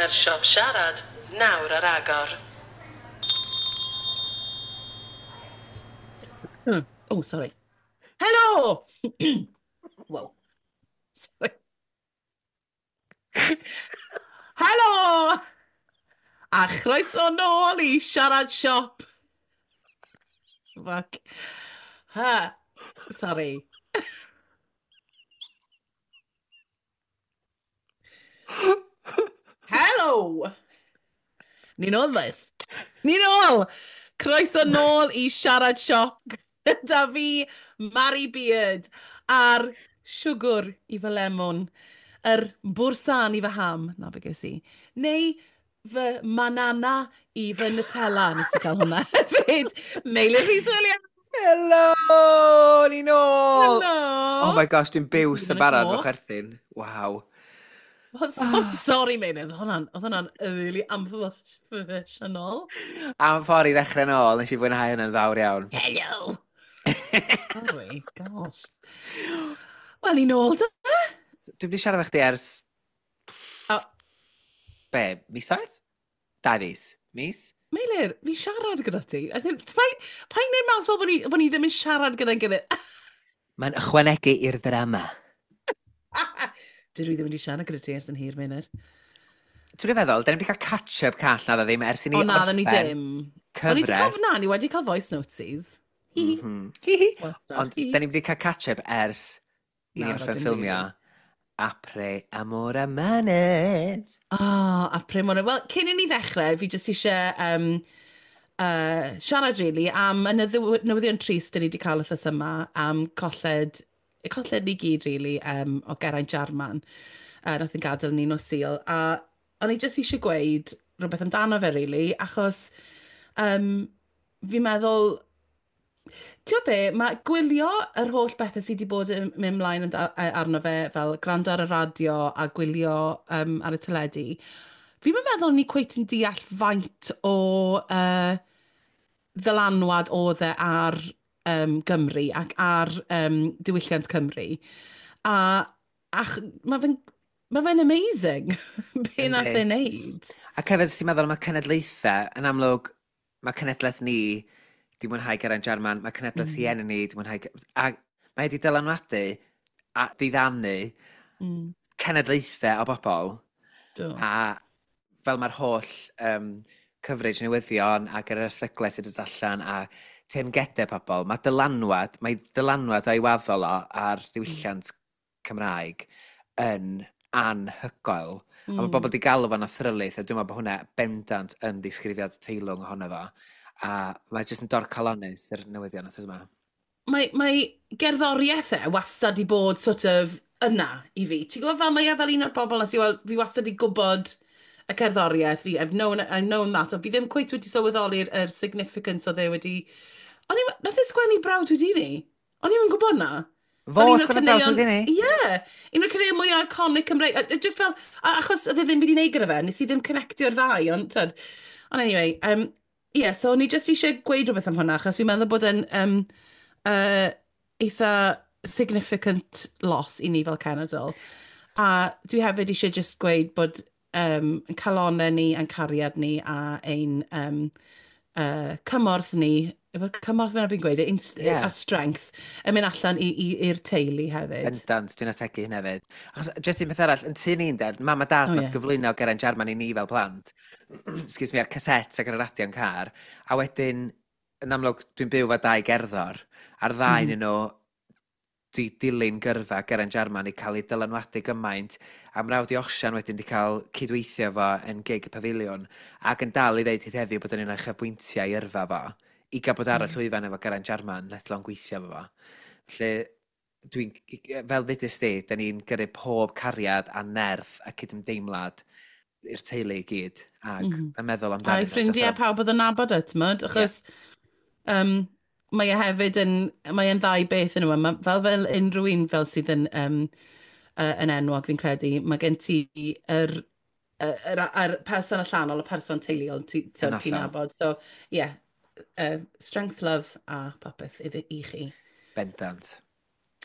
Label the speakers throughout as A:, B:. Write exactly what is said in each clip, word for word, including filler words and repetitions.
A: Mae'r siop siarad nawr ar agor.
B: Hmm. Oh, sorry. Helo! Whoa. Sorry. Helo! A chroeso nôl i Siarad Siop. Fuck. Ha. Sorry. Helo! Ni'n ôl, boys. Ni'n ôl! Croeso nôl i Siarad Siop gyda fi, Mari Beard, a'r siwgr i fy lemon, yr bwrsan i fy ham, na be ges i, neu fy manana i fy Nutella, nes i cael hwnna hefyd. Meilir Rhys Williams!
C: Helo! Ni'n ôl!
B: Helo!
C: Oh my gosh, dwi'n byw
B: Ni'n
C: sy'n barod
B: ôl.
C: fo chwerthin. Waw.
B: Well, so, sorry, Meilir, oedd hwnna'n oedd hwnna'n really amhroffesiynol.
C: Am ffordd i ddechrau nôl, nes i fwynhau hynny'n fawr iawn.
B: Hello! Sorry, gosh. Wel, ni'n ôl, da.
C: Dwi'n wedi siarad efo chdi ers...
B: O.
C: Be, misoedd? Dau fis. Mis?
B: Meilir, fi siarad gyda ti. As in, pa'n pa'n neud mas fel bod ni, bod ni ddim yn siarad gyda'n gilydd?
C: Mae'n ychwanegu i'r ddrama.
B: Dydw i ddim wedi siarad gyda ti ers yn hir, Meilir.
C: Ti'n feddwl, da ni wedi cael catch-up call na dda ddim ers i ni
B: O na, dda ni
C: orffen
B: ddim. O'n i 'di cael,
C: cyfres.
B: na, ni wedi cael voice notesies. Hi.
C: Mhm. Hi hi.
B: Wastad.
C: Ond da ni wedi cael catch-up ers i ni
B: Na,
C: orffen
B: dim
C: ffilmio
B: rili.
C: Apre Amor Amanedd.
B: Ah, a pryd mor... Wel, cyn i ni ddechrau, fi jyst eisiau um, uh, siarad, really, am y newyddi- newyddion trist dyn ni wedi cael wythnos yma, am colled, colled ni gyd, really, um, o Geraint Jarman. Uh, nath yn gadael ni nos Sul. A o'n i jyst eisiau gweud rhywbeth amdano fe, really, achos um, fi'n meddwl. Ti'n gwybod be, mae gwylio yr holl bethau sydd wedi bod yn mynd ymlaen amda- yy, arno fe, fel gwrando ar y radio a gwylio um, ar y teledu, fi'n meddwl ni cweit yn deall faint o uh, ddylanwad oedd e ar um, Gymru ac ar um, diwylliant Cymru. A ach, mae fe'n ma fe'n amazing be nath
C: Yndi.
B: e wneud.
C: Ac hefyd, os ti'n meddwl am y cenedlaethau, yn amlwg, mae cenedlaeth ni di mwynhau Geraint Jarman, mae cenedlaeth mm. rhieni ni di mwynhau... A mae wedi dylanwadu a diddanu
B: Mm,
C: cenedlaethau o bobl.
B: do.
C: A fel mae'r holl um, coverage newyddion ac yr erthyglau sydd wedi dod allan a teyrngedau pobl, mae dylanwad, mae dylanwad o'i waddol o ar ddiwylliant Cymraeg yn anhygoel. Mm. A mae bobl wedi galw fo'n athrylith, a dwi'n meddwl bod hwnna bendant yn ddisgrifiad teilwng ohono fo. A mae jyst yn dorcalonnus yr newyddion wrth yma.
B: Mae, mae gerddoriaeth e wastad i bod sort of yna i fi. Ti'n gwybod fel mae e fel un o'r bobl nes i weld, fi wastad i gwybod y cerddoriaeth, fi, I've known, I've known that, ond fi ddim cweit wedi sylweddoli'r yr significance oedd e wedi. O'n i, nath e sgwennu Brawd Houdini? O'n i'm yn gwybod na.
C: Fo
B: Fel un o'r
C: sgwennu Brawd
B: caneuon-
C: Houdini?
B: Ie, un o'r caneuon mwyaf iconic Cymreig. A- a Just fel, a- achos oedd e ddim byd i wneud gyda fe, nes i ddim connectio'r ddau, ond, tyd. Ond anyway, um, ie, so o'n i just eisiau gweud rhywbeth am hwnna, achos fi'n meddwl bod e'n um, uh, eitha significant loss i ni fel cenedl. A dwi hefyd eisiau just gweud bod um, yn calonau ni, a'n cariad ni, a ein um, uh, cymorth ni, efo'r cymorth fyna fi'n gweud, ein,
C: Ie.
B: yeah. a strength, yn mynd allan i- i- i'r teulu hefyd.
C: Bendant, dwi'n ategu hynna hefyd. Achos, jyst un peth arall, yn tŷ ni'n dad, mam a dad
B: O,
C: nath
B: ie.
C: gyflwyno Geraint Jarman i ni fel plant. Excuse me, ar cassette ac ar y radio yn car. A wedyn, yn amlwg, dwi'n byw efo dau gerddor, a'r ddau mm. nhw di dilyn gyrfa Geraint Jarman i cael ei dylanwadu gymaint, a mrawd i Osian wedyn di cael cydweithio fo yn gig y Pafiliwn, ac yn dal i ddeud hyd heddiw bod yn un o'i uchafbwyntiau i yrfa fo, i gael bod ar y
B: Mm.
C: llwyfan efo Geraint Jarman, let alone gweithio efo fo. Felly, dwi'n, fel ddudus di, da ni'n gyrru pob cariad a nerth a cydymdeimlad i'r teulu i gyd, ac mm
B: Mhm.
C: -hmm. yn meddwl amdanyn
B: A'i
C: nhw.
B: ffrindiau pawb oedd yn nabod e, t'mod? Achos um, mae e hefyd yn, mae e'n ddau beth yn yma. Ma, fel fel unrhyw un fel sydd yn, um, uh, yn enwog, fi'n credu, mae gen ti yr, yr, yr, yr person allanol, y person teuluol ti-
C: Yn
B: ti'n ti
C: hollol.
B: nabod. So, yeah, uh, strength, love a popeth iddi i chi.
C: Bendant.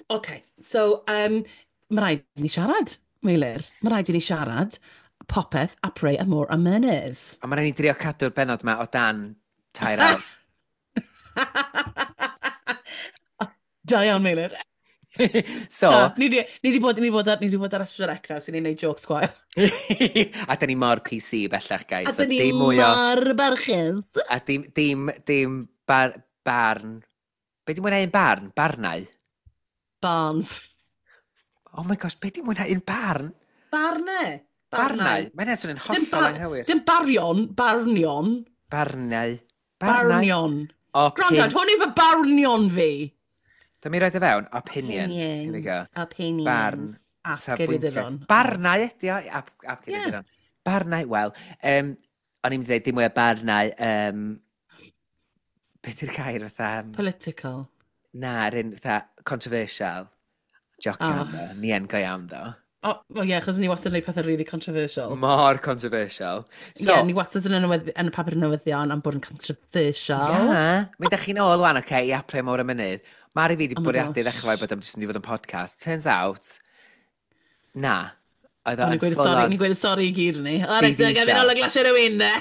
B: OK, so um, mae rhaid i ni siarad, Meilir. Mae rhaid i ni siarad. Popeth, Apreu a Môr a Mynydd.
C: A mae'n rhaid ni drio cadw'r benod yma o dan tair awr.
B: Da iawn, Meilir.
C: So...
B: Na, ni di, ni di bod, ni di bod ar, ni di bod ar S pedwar C nawr sy'n ni'n neud jokes gwael.
C: A da ni mor P C bellach, guys.
B: A da ni
C: dim mwy o...
B: mor barchus.
C: A dim, dim, dim bar, barn... Be di mwynhau un barn? Barnau?
B: Barns.
C: Oh my gosh, be di mwynhau un barn?
B: Barnau.
C: Barnau? Mae'n edrych yn
B: Dim
C: hollol
B: bar-
C: anghywir.
B: Dim barion, barnion.
C: Barnau. Barnau.
B: Barnion.
C: Opin...
B: Gwrando, hwn yw fy barnion fi.
C: Dyma i roed e fewn, opinion. Here we go.
B: Opinions.
C: Barn.
B: Ap
C: Safbwyntiau.
B: Geiriaduron.
C: Barnau ydi o. Ap, ap Geiriaduron. Barnau, wel, um, o'n i'n dweud dim mwy o barnau, um, beth yw'r gair fatha? Um,
B: Political.
C: Na, yr un fatha controversial. Jocian,
B: Oh.
C: oh. Ni yn go iawn, ddo.
B: O, oh, ie, achos ni wastad yn gwneud pethau really controversial.
C: Mor controversial.
B: Ie,
C: So,
B: yeah, ni wastad yn y, newyddi- yn y papur newyddion am bod yn controversial.
C: Ia, mi ydych chi'n ôl wan, oce, okay, i Apreu Môr y Mynydd. Mari fi wedi
B: Oh my
C: bwriadu
B: gosh.
C: ddechrau bod am jyst yn mynd i fod yn podcast. Turns out, na. Oedd
B: O'n
C: o'n
B: i'n gweud
C: full
B: sori,
C: on.
B: ni'n gweud sori i gyd ni. O, reit,
C: T V
B: gaf fi'n
C: show.
B: ôl y glasio rhywun, ne?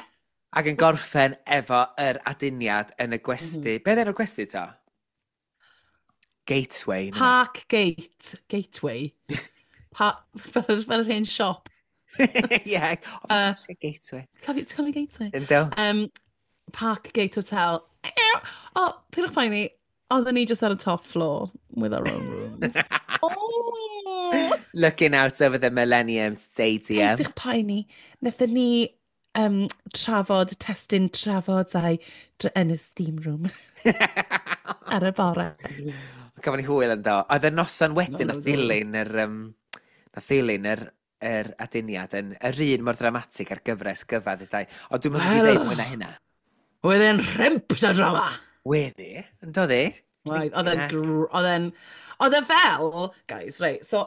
C: Ac yn gorffen efo yr aduniad yn y gwesty. Mm -hmm. Be oedd enw'r gwesty to? Gateway. neu
B: Park Gate. Gateway. Pa, fel, yr- fel yr hen siop.
C: rhywbeth? Ie. Oh my
B: Uh,
C: gosh, ie, Gateway.
B: Cofio, ti'n cofio Gateway?
C: Ynddo?
B: Um, Park Gate Hotel. O, oh, pidwch poeni, oedden ni just ar y top floor with our own rooms. Oh!
C: Looking out over the Millennium Stadium.
B: Pidwch poeni, wnaethon ni um, trafod, testun trafod a'i yn y steam room ar y bore.
C: Gafon ni hwyl ynddo. Oedd y noson wedyn
B: No,
C: nath
B: no, no.
C: ddilyn yr, um, nath ddilyn yr, yr aduniad yn yr un mor dramatig ar gyfres gyfa ddedai. Ond dwi'n mynd i
B: Wel.
C: ddeud mwy na hynna.
B: Oedd e'n rhemp o drama.
C: Weddi, yn do ddi?
B: Oedd, oedd e'n
C: Heck.
B: gr- oedd e'n, oedd e fel, guys, reit, so,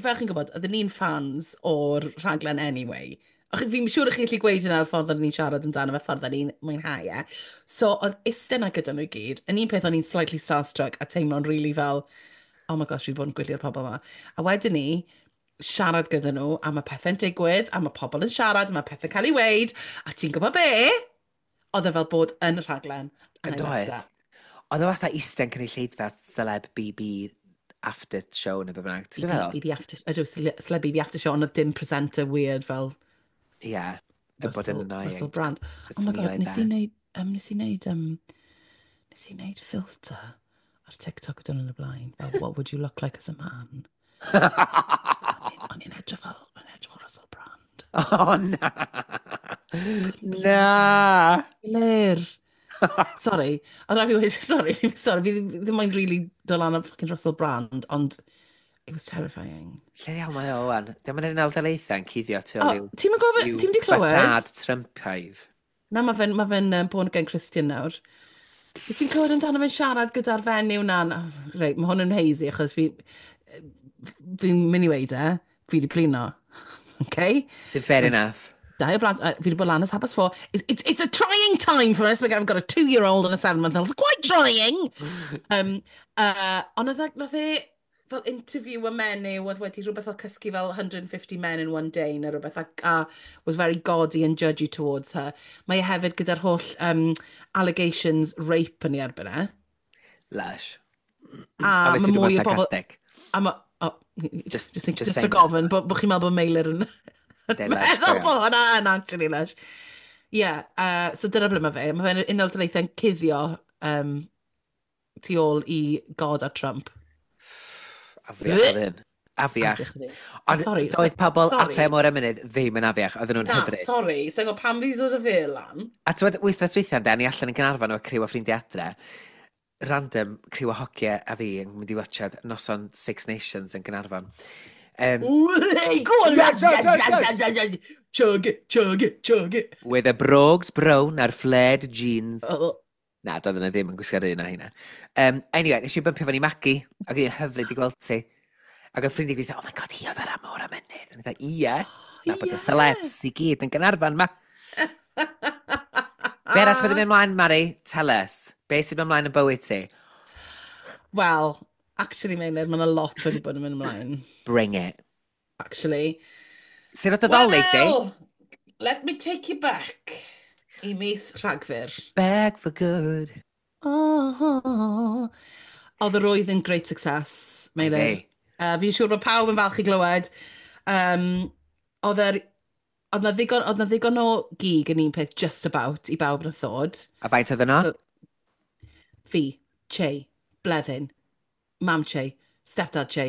B: fel chi'n gwybod, oedden ni'n fans o'r rhaglen anyway. Och, fi'n siŵr i chi'n gallu gweud yna y ffordd oedden ni'n siarad amdano fe, ffordd oedden ni'n mwynhau e. So, oedd iste 'na gyda nhw i gyd, yn un peth o'n i'n slightly starstruck a teimlo'n really fel, oh my gosh, fi wedi bod yn gwylio'r pobl yma. A wedyn ni, siarad gyda nhw, a mae pethau'n digwydd, a mae pobl yn siarad, a mae pethau'n cael ei weid, a ti'n gwybod be? Oedd e fel bod yn y rhaglen. And I
C: Yn
B: loved
C: doedd?
B: it.
C: Oedd o fatha eistedd yn cynulleidfa celeb B B after show neu be bynnag. Ti'n feddwl?
B: B B after, ydw, celeb B B after show, ond oedd dim presenter weird fel
C: Ie, yn bod yn
B: Russell,
C: annoying.
B: Russell Brand.
C: Just,
B: Oh my
C: ni
B: god,
C: oedd
B: nes
C: e.
B: i wneud, um, nes i wneud, um, nes i wneud filter ar TikTok o dyn yn y blaen. Fel, what would you look like as a man? O'n i'n edrych fel, o'n i'n edrych fel Russell Brand.
C: Oh, na. Na.
B: Lir. Sorry. Oedd rhaid fi weud, sorry, sorry, fi ddim ddim moyn really dod lan ar fucking Russell Brand, ond it was terrifying.
C: Lle iawn mae o wan? Diolch yn Unol Daleithiau yn cuddio tu
B: O,
C: ôl i'w
B: ti'n mynd gwybod,
C: i'w
B: ti'n mynd i clywed?
C: fasad Trumpaidd.
B: Na, mae fe'n ma fe'n um, born again Christian nawr. Wyt ti'n clywed amdano fe'n siarad gyda'r fenyw na? Reit, mae hwn yn hazy achos fi... Fi'n mynd i weud e, fi di blino. Okay?
C: Sy'n fair enough.
B: Dau o blant, uh, fi wedi bod lan ers half past four. It's, it's, it's a trying time for us. I've got a two-year-old and a seven-month-old. It's quite trying. um, uh, ond oedd e- nath e fel interview y menyw oedd wedi rhywbeth fel cysgu fel a hundred and fifty men in one day neu rhywbeth ac a was very gaudy and judgy towards her. Mae e hefyd gyda'r holl um, allegations rape yn ei erbyn e.
C: Lush.
B: A
C: Obviously,
B: mae
C: dwi'n
B: mwy o bobl
C: sarcastic.
B: A ma, oh,
C: Just-
B: just, just,
C: just
B: just
C: saying
B: rhag ofn bod bo chi'n meddwl bod Meilir yn
C: They're lush,
B: meddwl
C: go iawn.
B: bod hwnna yn actually lush. Yeah, uh, so dyna ble mae fe. Mae fe'n Unol Daleithiau'n cuddio um, tu ôl i God a Trump.
C: Afiach oedd hyn. Afiach.
B: Afiach oedd hyn.
C: Ond
B: Sorry,
C: doedd pobl
B: sorry.
C: Apreu Môr y Mynydd ddim yn afiach, oedden nhw'n
B: Na,
C: hyfryd.
B: sorry. Sa'n gwybod pam fi 'di dod â fe lan.
C: A ti'n gwybod, wythnos dwytha, de, ni allan yn Gaernarfon efo criw o ffrindiau adre, random criw o hogiau a fi yn mynd i watchad noson Six Nations yn Gaernarfon. Um,
B: Hey, go on,
C: Yes, yes, yes,
B: yes. Chug it, chug it, chug it.
C: With a brogues brown a'r flared jeans.
B: Oh,
C: Na, doedden nhw ddim yn gwisgo'r un o hynna. Um, anyway, nes i bympio fyny Magi, ac oedd hi'n hyfryd i gweld ti. Ac oedd ffrindiau gweithio, oh my god, hi oedd ar Môr a Mynydd. A o'n i ie. Na bod y
B: Ie.
C: celebs i gyd yn Gaernarfon ma. Be arall wedi mynd mlaen, Mari? Tell us. Be sy'n mynd mlaen yn bywyd ti?
B: Wel, actually, Meilir, mae yna lot wedi bod yn mynd ymlaen.
C: Bring it.
B: Actually.
C: Sut oedd y Ddolig di?
B: Well, let me take you back i mis Rhagfyr.
C: Back for good.
B: Oh, oedd yr oedd yn great success, Meilir.
C: Hey.
B: Uh, fi'n siŵr bod pawb yn falch i glywed. Um, oedd yr... Oedd na ddigon, oedd na ddigon o gig yn un peth just about i bawb yn y ddod.
C: A faint oedd yno?
B: So- Fi, Che, Bleddyn, Mam Che, Stepdad Che,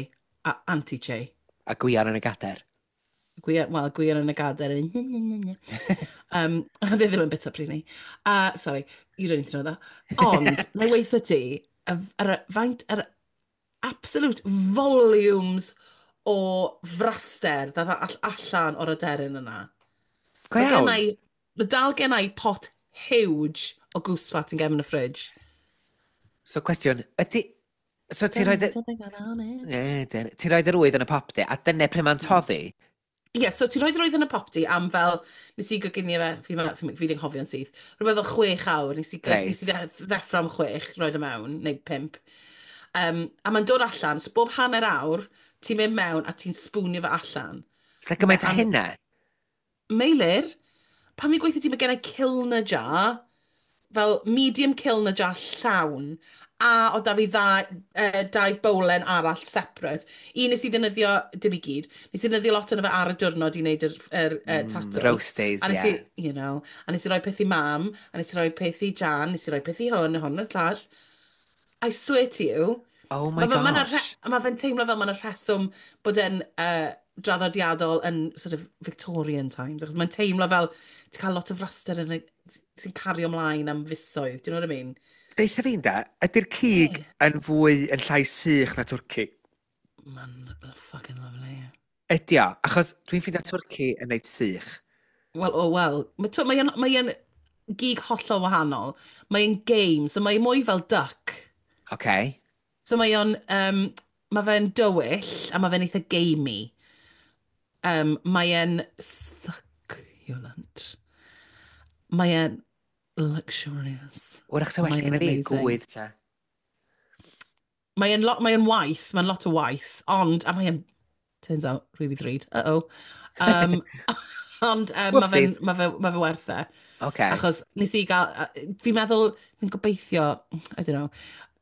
B: a Auntie Che.
C: A Gwion yn y gader.
B: Gwion, wel, Gwion yn y gadair. yn um, Oedd e ddim yn bita pryd ni. Uh, sorry, you don't need to know that. Ond, na i weithio ti, y, yr, faint, yr absolute volumes o fraster ddath all, allan o'r aderyn yna.
C: Go
B: Mae
C: iawn.
B: genna i, mae dal gen i pot huge o goose fat yn gefn y fridge.
C: So cwestiwn, ydy... So ti'n rhoi... Ti'n rhoi yr ŵydd yn y popty, a dyna pryd mae'n toddi?
B: Ie, yeah, so ti'n rhoi yr ŵydd yn y popty am fel, nes i goginio fe, fi, fi, fi di'n nghofio'n syth, rhywbeth fel chwech awr, nes i,
C: Reit.
B: nes i dde- ddeffro am chwech, rhoi e mewn, neu pump. Um, a mae'n dod allan, so bob hanner awr, ti'n mynd mewn a ti'n spwnio fe allan.
C: So gymaint o
B: Am-
C: hynna?
B: Meilir, pan fi'n gweithio ti, mae gen i Kilner jar, fel medium Kilner jar llawn, a oedd da fi dda, uh, dau bowlen arall separate. Un nes i ddefnyddio, dim i gyd, nes i ddefnyddio lot ono fe ar y diwrnod i wneud yr, yr uh,
C: Mm,
B: tatws.
C: roasties,
B: A nes
C: ie.
B: i, you know, a nes i roi peth i mam, a nes i roi peth i Jan, nes i roi peth i hwn, hwn a'r llall. I swear to you,
C: Oh my
B: Ma' ma' 'na
C: gosh.
B: re- ma' fe'n teimlo fel ma' 'na rheswm bod e'n uh, draddodiadol yn sort of Victorian times, achos mae'n teimlo fel ti'n cael lot o fraster yn y, sy'n cario ymlaen am fisoedd, do you know what I mean?
C: Deutha fi'n da, ydy'r cig
B: Ie.
C: yn fwy, yn llai sych na twrci?
B: Mae'n fucking lovely.
C: Ydy o, achos dwi'n ffeindio twrci yn neud sych.
B: Wel, oh well, mae mae mae e'n gig hollol wahanol. Mae'n game, so mae'n mwy fel duck.
C: Okay.
B: So mae o'n, um, mae fe'n dywyll a mae fe'n eitha gamey. Um, mae e'n succulent. Mae e'n luxurious.
C: Wrach sa well
B: Mae e'n
C: gen i fi
B: amazing.
C: gwydd ta.
B: Mae e'n lot, mae e'n waith, mae'n lot o waith, ond, a mae e'n, turns out, really ddrud. Uh-oh. Um, ond um, mae fe'n
C: Whoopsies.
B: ma fe, ma fe werth e.
C: Okay.
B: Achos nes i gael, fi'n meddwl, fi'n gobeithio, I don't know,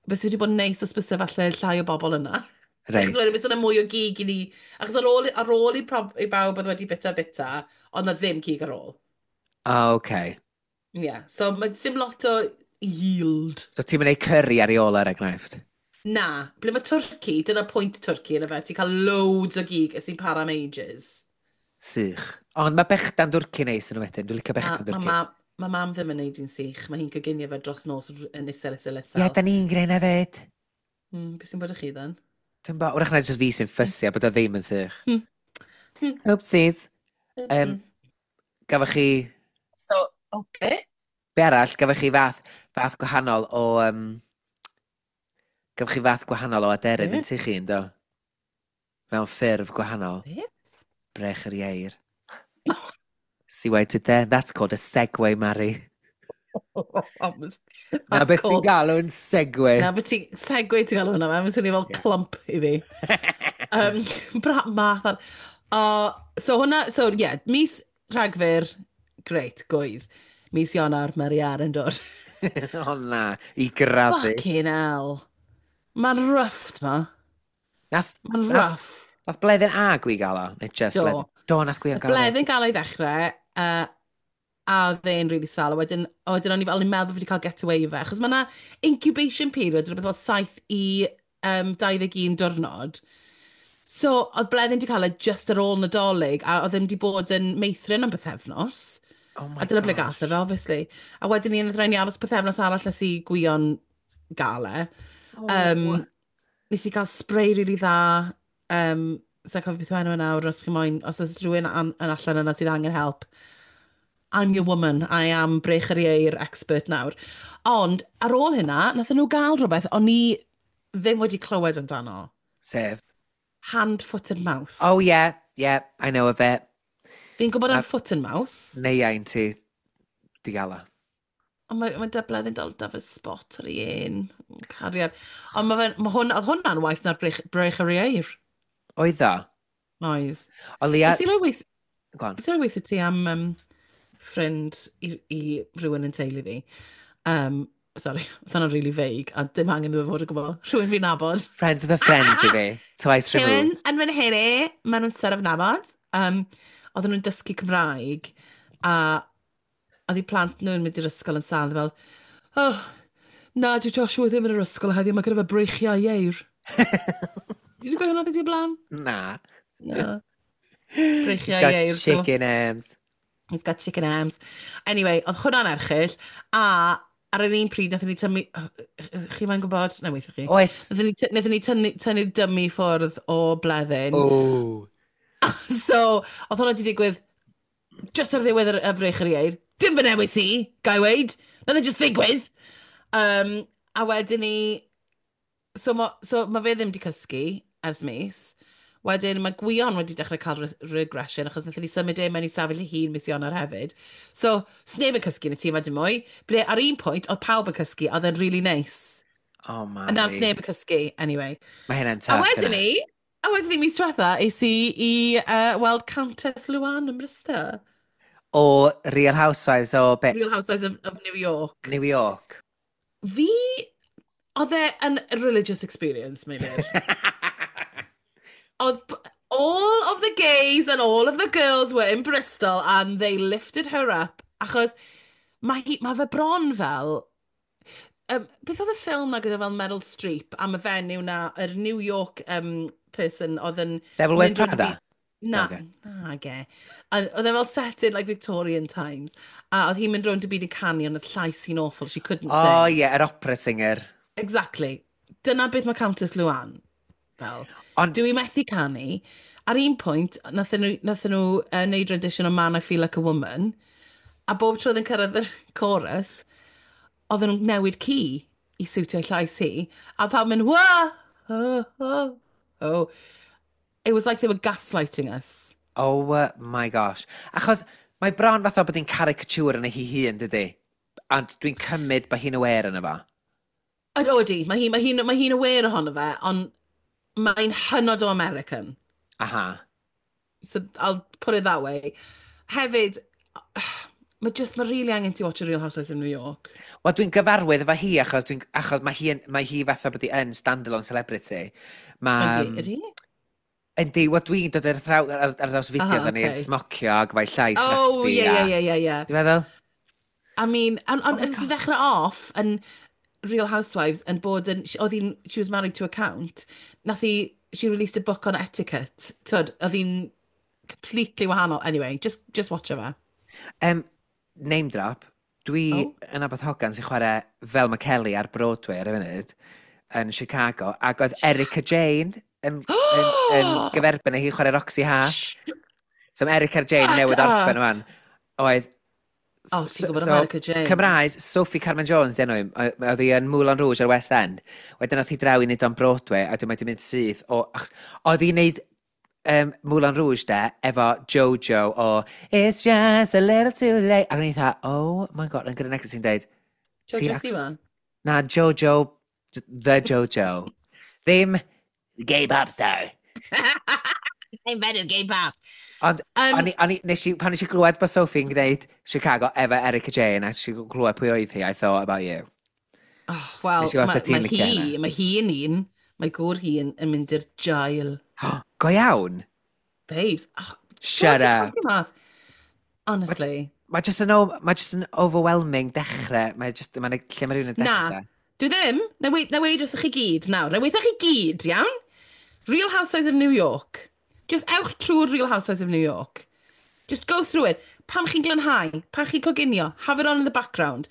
B: bys wedi bod yn neis os byse falle llai o bobl yna.
C: Reit.
B: Achos wedyn byse yna mwy o gig i ni, achos ar ôl, ar ôl i, prob, i bawb oedd wedi bita bita, ond na ddim cig ar ôl.
C: Oh, okay.
B: Yeah, so mae dim lot o yield.
C: So ti'n mynd ei curry ar ei ôl er enghraifft?
B: Na, ble mae twrci, dyna pwynt twrci yna fe, ti'n cael loads o gig sy'n para am ages.
C: Sych. Ond mae bechdan dwrci neis yn wedyn. Dwi'n licio
B: Ma,
C: bechdan
B: ma,
C: dwrci.
B: ma, ma mam ddim yn neud un sych, mae hi'n coginio fe dros nos yn isel, isel, isel.
C: Ie, da ni'n gwneud hefyd.
B: Mm, beth sy'n bod â chi then?
C: Dwi'n bo, wrach na jyst fi sy'n ffysu a bod o ddim yn sych.
B: Hmm. Hmm.
C: Oopsies. Um, gafoch chi...
B: So, okay.
C: Be arall, gafoch chi fath, fath gwahanol o... Um, gafoch chi fath gwahanol o aderyn
B: Be?
C: yn tŷ chi, yndo? Mewn ffurf gwahanol.
B: Be?
C: Brech yr ieir. See what I did there? That's called a segue, Mari. Na beth ti'n galw yn segue.
B: Na, beth ti'n... Segue ti'n galw hwnna, mae'n swnio fel
C: Ie.
B: clump i fi. Um, bra, math ar... Uh, so hwnna, so yeah, mis Rhagfyr, great, gwydd. Mis Ionawr, mae'r iar yn dod.
C: O na, i grafu.
B: Fucking hell. Mae'n rough, t'ma.
C: Nath,
B: Mae'n
C: nath,
B: rough.
C: nath Bleddyn a Gwi gael o? Neu just
B: Do.
C: Bleddyn? Do, nath Gwion
B: Nath
C: gael o.
B: Bleddyn gael ei ddechrau, uh, a oedd e'n really sal. A wedyn, a wedyn o'n i fel, o'n i'n meddwl bod fi wedi cael get away fe. Achos mae yna incubation period, rhywbeth fel saith i um, dau ddeg un diwrnod. So, oedd Bleddyn wedi cael e just ar ôl Nadolig, a oedd e'n wedi bod yn meithrin am bythefnos.
C: Oh my
B: A dyna ble
C: gosh.
B: gath e fe, obviously. A wedyn ni, nath rhaid ni aros bythefnos arall nes i Gwion gael e.
C: Oh.
B: Um, nes i gael spray really dda. Um, Sa'n cofio beth yw enw e nawr, os chi moyn, os oes rhywun an, yn allan yna sydd angen help. I'm your woman. I am brech yr ieir expert nawr. Ond ar ôl hynna, nathon nhw gael rhywbeth o'n i ddim wedi clywed amdano.
C: Sef?
B: Hand, foot and mouth.
C: Oh yeah, yeah, I know of it.
B: Fi'n gwybod
C: Na-
B: am foot and mouth,
C: Neu ein ti di gael o.
B: Ond mae, mae dybledd yn dal da fe spot ar ei un. Cariad. Ond mae, fe, mae hwn, oedd hwnna'n waith na'r brech, brech yr ieir.
C: Oedd o?
B: Oedd.
C: O leia,
B: Nes i roi weith...
C: Go on.
B: Fi eisiau weithio ti am um, ffrind i, i rhywun yn teulu fi. Um, sorry, oedd hwnna'n really vague, a dim angen iddo fe fod o gwbl. Rhywun fi'n nabod.
C: Friends of a friend i fi. Twice
B: Rhywun
C: removed.
B: yn fy nheulu, maen nhw'n sort of nabod. Um, oedden nhw'n dysgu Cymraeg, a oedd eu plant nhw'n mynd i'r ysgol yn sâl, fel, "Oh, na, dyw Joshua ddim yn yr ysgol heddiw, mae gyda fe breichiau ieir." Did you gweud hwnna ti blaen?
C: Na.
B: Na.
C: He's
B: Breichiau
C: got
B: ieir. So
C: chicken arms.
B: He's got chicken arms. Anyway, oedd hwnna'n erchyll, a ar yr un pryd, nathon ni tynnu. Chi mae'n gwybod? Na, weithio chi.
C: Oes.
B: Nathon ni, nathon ni tynnu, tynnu'r dummy ffwrdd o Bleddyn.
C: Oh.
B: So, oedd hwnna wedi digwydd just ar ddiwedd yr y brech yr ieir. Dim fy newis i, gai weud. Nath e just ddigwydd. Um, a wedyn ni. So ma, so ma fe ddim wedi cysgu ers mis. Wedyn mae Gwion wedi dechrau cael re regression achos wnaethon ni symud e mewn i safell ei hun mis Ionawr hefyd. So, sneb yn cysgu yn y tŷ yma dim mwy. Ble ar un pwynt, oedd pawb yn cysgu, oedd e'n really nice.
C: Oh,
B: A nawr
C: Mari.
B: sneb yn cysgu, anyway.
C: Mae hynna'n
B: A
C: tough.
B: wedyn
C: Innit?
B: ni, a wedyn ni mis diwetha, es i i uh, weld Countess Luann yn Bristol.
C: O Real Housewives o be?
B: Real Housewives of, of New York.
C: New York.
B: Fi, oedd e yn religious experience, Meilir. Oedd b- all of the gays and all of the girls were in Bristol and they lifted her up achos mae, hi, mae fe bron fel. Um, beth oedd y ffilm na gyda fel Meryl Streep am y fenyw na, yr New York um, person oedd yn
C: Devil Wears
B: mynd rownd y
C: Prada?
B: byd. Na,
C: Nage.
B: nage. A oedd e fel set in like Victorian times. A oedd hi'n mynd rownd y byd yn canu, ond oedd llais hi'n awful, she couldn't
C: Oh,
B: sing.
C: ie, yeah, yr opera singer.
B: Exactly. Dyna beth mae Countess Luann fel.
C: Ond,
B: Dwi methu canu. Ar un pwynt, nathon nhw, nathon nhw uh, neud rendition o Man I Feel Like a Woman, a bob tro oedd yn cyrraedd y chorus, oedden nhw'n newid key i siwtio llais hi, a pawb mynd, "Wah! Oh, oh, oh." It was like they were gaslighting us.
C: Oh my gosh. Achos mae bron fatha bod hi'n caricature yn ei hi hun, dydy? Ond dwi'n cymryd bod hi'n aware yna fo.
B: Yd- Odi, mae hi'n mae hi, mae hi'n aware ohono fe, ond mae'n hynod o American.
C: Aha.
B: So I'll put it that way. Hefyd, mae just, mae really angen ti watch a Real Housewives of New York.
C: Wel, dwi'n gyfarwydd efo hi achos, dwi'n, achos mae hi, yn, mae hi fatha bod hi yn standalone celebrity. Mae,
B: Ydy, ydy?
C: Yndi, wel, dwi'n dod ar, thraw, ar, ar draws fideos
B: Aha,
C: uh, ni yn
B: okay.
C: smocio ac mae llais
B: Oh,
C: raspy.
B: ie,
C: a-
B: ie, ie, ie, ie.
C: Ti'n meddwl?
B: I mean, and, and,
C: Oh my
B: and i ddechrau off yn Real Housewives yn bod yn, oedd hi'n, she was married to a count, nath hi, she released a book on etiquette. Tyd, oedd hi'n completely wahanol. Anyway, just, just watch fe.
C: Um, name drop. Dwi
B: Oh.
C: yn nabod hogan sy'n chwarae Velma Kelly ar Broadway ar y funud yn Chicago, ac oedd Erika Jane yn, yn, yn gyferbyn â hi chwarae Roxy Hart. So mae Erika Jane
B: Shut
C: newydd orffen
B: up.
C: wan. Oedd.
B: Oh, ti'n gwybod am Erika Jane?
C: Cymraes, Sophie Carmen Jones, di enw hi, o- oedd hi yn Moulin Rouge ar West End. Wedyn nath hi draw i wneud o'n Broadway, a dwi'n wedi mynd syth o. Achos, oedd hi'n neud um, Moulin Rouge de, efo Jojo o "It's just a little too late". Ac o'n i dda, "Oh my God," yn gyda neges sy'n deud,
B: Jojo
C: ti'n
B: Siwa?
C: Na, Jojo, the Jojo. Ddim gay pop star.
B: I'm better gay pop.
C: Ond,
B: Um,
C: o'n i, o'n i, nes i, pan nes i glywed bod Sophie'n gwneud Chicago efo Erika Jane, a nes i glywed pwy oedd hi, I thought about you.
B: Oh, wel,
C: Nes i weld
B: mae
C: sut ti'n
B: ma
C: licio
B: hi,
C: hynna.
B: mae hi yn un, mae gŵr hi yn, yn mynd i'r jail.
C: Go iawn?
B: Babes. Oh,
C: Shut up.
B: Mas. Honestly.
C: Mae just yn, o- mae just yn overwhelming dechrau. Mae just, mae'n lle mae rhywun yn
B: Na.
C: dechrau.
B: Dwi ddim. Na weud, na weud wrthych chi gyd nawr. Na weud wrthych chi gyd, iawn? Real Housewives of New York. Just ewch trwy'r Real Housewives of New York. Just go through it. Pam chi'n glanhau, pan chi'n coginio, have it on in the background.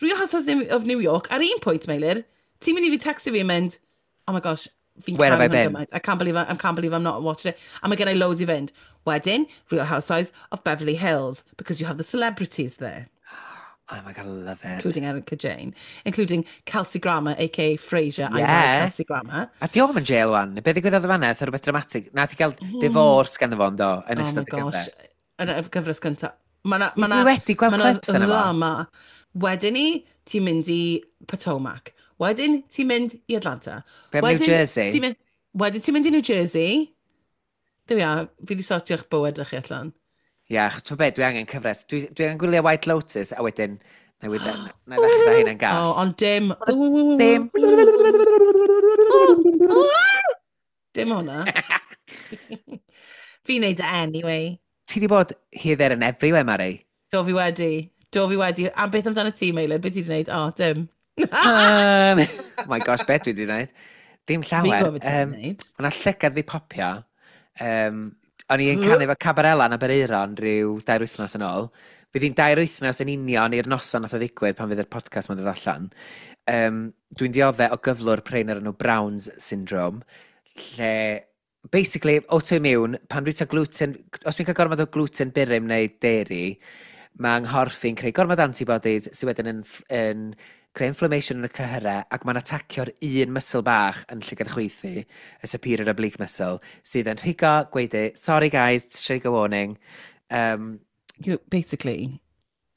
B: Real Housewives of New York, ar un pwynt, Meilir, ti'n mynd i fi textio fi yn mynd, "Oh my gosh, fi'n
C: Where have
B: caru
C: I
B: hwn
C: been?"
B: gymaint. I can't believe I, I can't believe I'm not watching it." A mae gen i loads i fynd. Wedyn, Real Housewives of Beverly Hills, because you have the celebrities there,
C: Oh my God, I love it.
B: including Erika Jane, including Kelsey Grammer, A K A Frasier. I
C: Yeah.
B: like Kelsey Grammer.
C: A di o'm yn jail wan. Be ddigwyddodd y fanna? Oedd rhywbeth dramatic. Nath i gael divorce ganddo fo, yndo, yn
B: Oh my
C: ystod y
B: gosh.
C: gyfres.
B: Yn y gyfres gyntaf. Ma' na, ma'
C: Dwi
B: na,
C: wedi gweld
B: ma' na
C: clips yna fo.
B: ddrama. Wedyn ni, ti'n mynd i Potomac. Wedyn, ti'n mynd i Atlanta.
C: Be am New
B: Wedyn,
C: Jersey?
B: ti'n mynd, wedyn ti'n mynd i New Jersey. There we are, fi wedi sortio'ch bywyd chi allan.
C: Ie, yeah, achos ti'n beth, dwi angen cyfres. Dwi, dwi angen gwylio White Lotus, a wedyn, na i wedyn, na i ddechrau hynna'n gall.
B: Oh, ond dim.
C: Dim.
B: Dim hwnna. Fi'n neud e anyway.
C: Ti di bod here, there and everywhere, Mari.
B: Do fi wedi. Do fi wedi. A beth amdano ti, Meilir? Beth ti wedi gwneud? O, dim.
C: Um, oh my gosh, beth dwi wedi gwneud? Dim
B: Fi'n
C: llawer.
B: gwybod beth ti wedi
C: Um,
B: gwneud.
C: O'na llygad fi popio. Um, o'n i'n canu efo Cabarella yn Aberaeron rhyw dair wythnos yn ôl. Fydd hi'n dair wythnos yn union i'r noson nath o ddigwydd pan fydd yr podcast ma'n dod allan. Um, dwi'n dioddef o gyflwr prin ar enw Brown's Syndrome, lle basically autoimmune, pan dwi'n cael gluten, os dwi'n cael gormod o gluten burum neu dairy, mae nghorff i'n creu gormod antibodies sydd wedyn yn, yn creu inflammation yn y cyhyrau ac mae'n atacio'r un muscle bach yn llygad chwith fi, y superior oblique muscle, sydd yn rhigo, gweud, "Sorry guys, trigger warning." Um,
B: You, basically,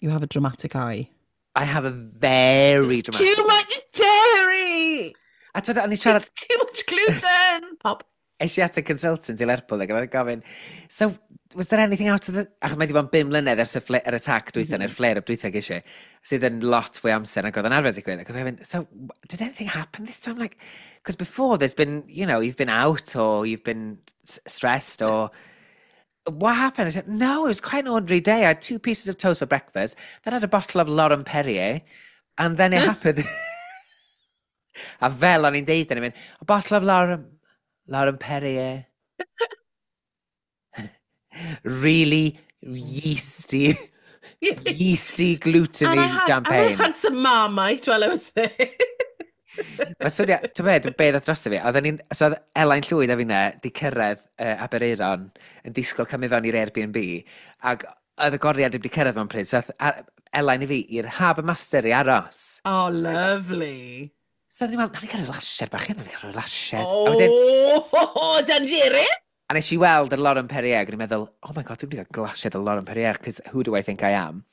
B: you have a dramatic eye.
C: I have a very dramatic.
B: Too much dairy!
C: A twyd, o'n i siarad,
B: It's too much gluten! Pop.
C: Es i at y consultant i Lerpwl ac oedd yn gofyn, "So, was there anything out of the?" Achos mae wedi bod yn bum mlynedd ers y fle- yr attack dwytha, mm -hmm. neu'r flare-up dwytha ges i, sydd yn lot fwy amser nag oedd yn arfer digwydd. Ac oedd yn gofyn, "So, did anything happen this time? Like, because before there's been, you know, you've been out or you've been s- stressed or... What happened?" I said, "No, it was quite an ordinary day. I had two pieces of toast for breakfast, then I had a bottle of Laurent Perrier, and then it happened." A fel o'n i'n deud, o'n i'n mynd, "A bottle of Laurent, Laurent Perrier. Really yeasty, yeasty,
B: And
C: gluteny
B: I had, and I
C: champagne."
B: had some Marmite while I was there.
C: Mae swnio, ti'n beth, beth oedd drosto fi, oedden ni'n, so oedd Elain Llwyd a finne di cyrraedd uh, Aberaeron yn disgwyl cymryd fewn i'r Airbnb, ac oedd y goriad wedi cyrraedd mewn pryd, so ath a- Elain i fi i'r Harbour Master i aros.
B: Oh, lovely.
C: So oedden ni'n meddwl, "Nawn ni gael rhyw lasied bach, nawn ni gael rhyw lasied." A wedyn,
B: Oh, Danjere!
C: a nes i weld yr Laurent Perrier, ac o'n i'n meddwl, "Oh my God, dwi'n mynd i gael glasied o Laurent Perrier, because who do I think I am?"